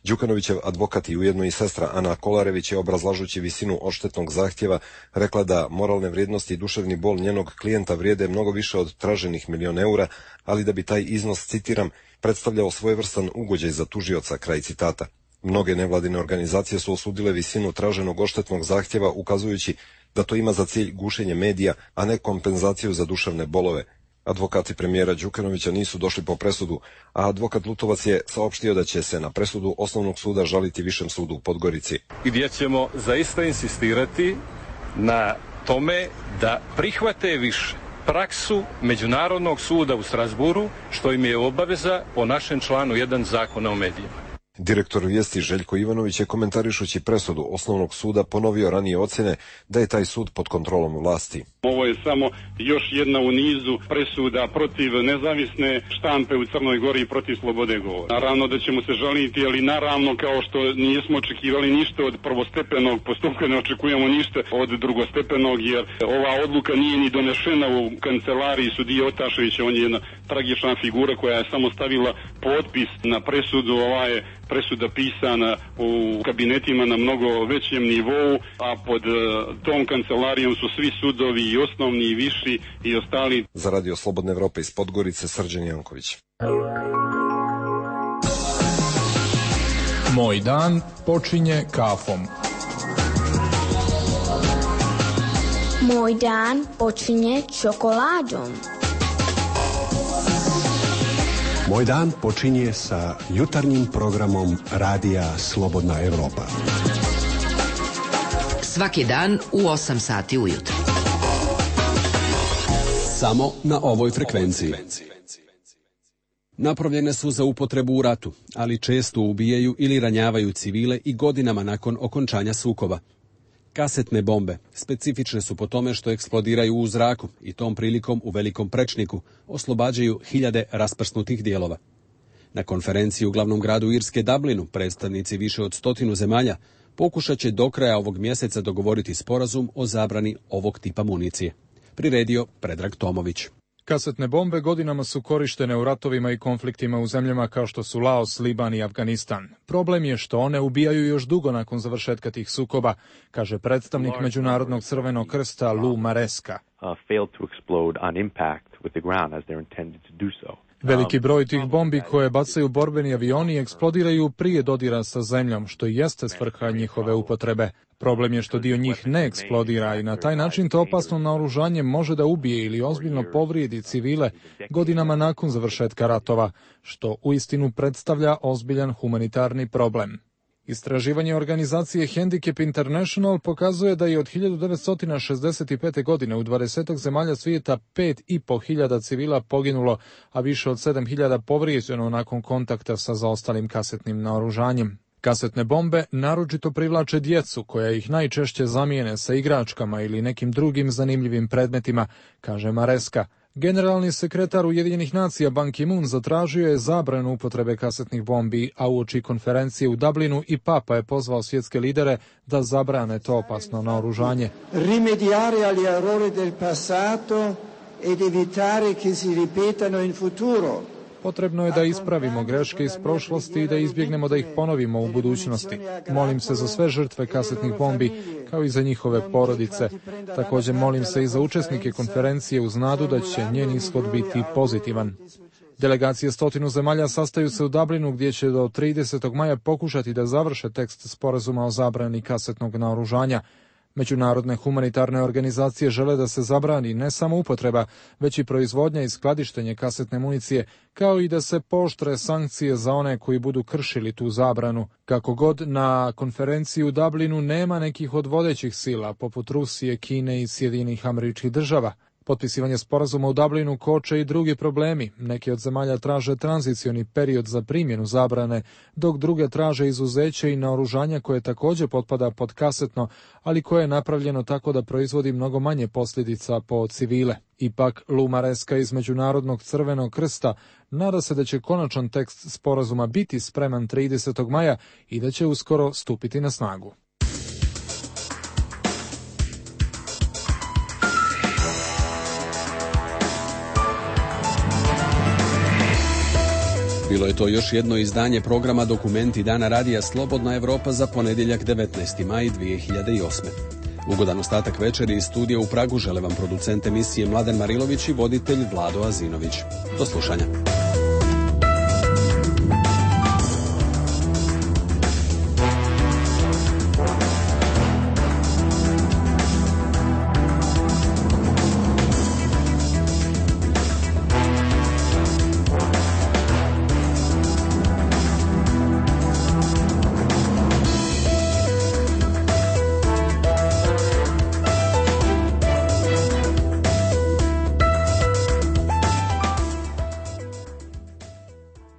Đukanovićev advokat i ujedno i sestra Ana Kolarević je, obrazlažući visinu odštetnog zahtjeva, rekla da moralne vrijednosti i duševni bol njenog klijenta vrijede mnogo više od traženih milion eura, ali da bi taj iznos, citiram, predstavljao svojevrstan ugođaj za tužioca, kraj citata. Mnoge nevladine organizacije su osudile visinu traženog odštetnog zahtjeva, ukazujući da to ima za cilj gušenje medija, a ne kompenzaciju za duševne bolove. Advokati premijera Đukanovića nisu došli po presudu, a advokat Lutovac je saopštio da će se na presudu Osnovnog suda žaliti Višem sudu u Podgorici. Gdje ćemo zaista insistirati na tome da prihvate više praksu Međunarodnog suda u Strasburu, što im je obaveza po našem članu jedan Zakona o medijima. Direktor Vijesti Željko Ivanović je komentarišući presudu Osnovnog suda ponovio ranije ocjene da je taj sud pod kontrolom vlasti. Ovo je samo još jedna u nizu presuda protiv nezavisne štampe u Crnoj Gori i protiv slobode govora. Naravno da ćemo se žaliti, ali naravno kao što nismo očekivali ništa od prvostepenog postupka, ne očekujemo ništa od drugostepenog, jer ova odluka nije ni donešena u kancelariji sudije Otaševića. On je jedna tragična figura koja je samo stavila potpis na presudu. Ova je presuda pisana u kabinetima na mnogo većem nivou, a pod tom kancelarijom su svi sudovi, i osnovni, i viši, i ostali. Za Radio Slobodne Evrope iz Podgorice, Srđan Janković. Moj dan počinje kafom. Moj dan počinje čokoladom. Moj dan počinje sa jutarnjim programom Radija Slobodna Evropa. Svaki dan u osam sati ujutro. Samo na ovoj frekvenciji. Napravljene su za upotrebu u ratu, ali često ubijaju ili ranjavaju civile i godinama nakon okončanja sukoba. Kasetne bombe specifične su po tome što eksplodiraju u zraku i tom prilikom u velikom prečniku oslobađaju hiljade rasprsnutih dijelova. Na konferenciji u glavnom gradu Irske Dublinu predstavnici više od stotinu zemalja pokušat će do kraja ovog mjeseca dogovoriti sporazum o zabrani ovog tipa municije. Priredio Predrag Tomović. Kasetne bombe godinama su korištene u ratovima i konfliktima u zemljama kao što su Laos, Liban i Afganistan. Problem je što one ubijaju još dugo nakon završetka tih sukoba, kaže predstavnik Međunarodnog crvenog krsta Lou Maresca. Veliki broj tih bombi koje bacaju borbeni avioni eksplodiraju prije dodira sa zemljom, što i jeste svrha njihove upotrebe. Problem je što dio njih ne eksplodira i na taj način to opasno naoružanje može da ubije ili ozbiljno povrijedi civile godinama nakon završetka ratova, što uistinu predstavlja ozbiljan humanitarni problem. Istraživanje organizacije Handicap International pokazuje da je od hiljadu devetsto šezdeset pete. godine u dvadeset zemalja svijeta pet i po hiljada civila poginulo, a više od sedam hiljada povrijeđeno nakon kontakta sa zaostalim kasetnim naoružanjem. Kasetne bombe naročito privlače djecu koja ih najčešće zamijene sa igračkama ili nekim drugim zanimljivim predmetima, kaže Maresca. Generalni sekretar Ujedinjenih nacija Ban Ki-moon zatražio je zabranu upotrebe kasetnih bombi, a uoči konferencije u Dublinu i Papa je pozvao svjetske lidere da zabrane to opasno naoružanje. Rimediare agli errori del passato ed evitare che si ripetano in futuro. Potrebno je da ispravimo greške iz prošlosti i da izbjegnemo da ih ponovimo u budućnosti. Molim se za sve žrtve kasetnih bombi, kao i za njihove porodice. Također molim se i za učesnike konferencije uz nadu da će njen ishod biti pozitivan. Delegacije stotinu zemalja sastaju se u Dublinu gdje će do tridesetog maja pokušati da završe tekst sporazuma o zabrani kasetnog naoružanja. Međunarodne humanitarne organizacije žele da se zabrani ne samo upotreba, već i proizvodnja i skladištenje kasetne municije, kao i da se pooštre sankcije za one koji budu kršili tu zabranu. Kako god, na konferenciji u Dublinu nema nekih od vodećih sila, poput Rusije, Kine i Sjedinjenih Američkih Država. Potpisivanje sporazuma u Dublinu koče i drugi problemi. Neki od zemalja traže tranzicioni period za primjenu zabrane, dok druge traže izuzeće i naoružanja koje također potpada pod kasetno, ali koje je napravljeno tako da proizvodi mnogo manje posljedica po civile. Ipak, Lou Maresca iz Međunarodnog crvenog krsta nada se da će konačan tekst sporazuma biti spreman tridesetog maja i da će uskoro stupiti na snagu. Bilo je to još jedno izdanje programa Dokumenti Dana Radija Slobodna Evropa za ponedjeljak devetnaesti maj dvije hiljade osme. Ugodan ostatak večeri iz studija u Pragu žele vam producent emisije Mladen Marilović i voditelj Vlado Azinović. Do slušanja.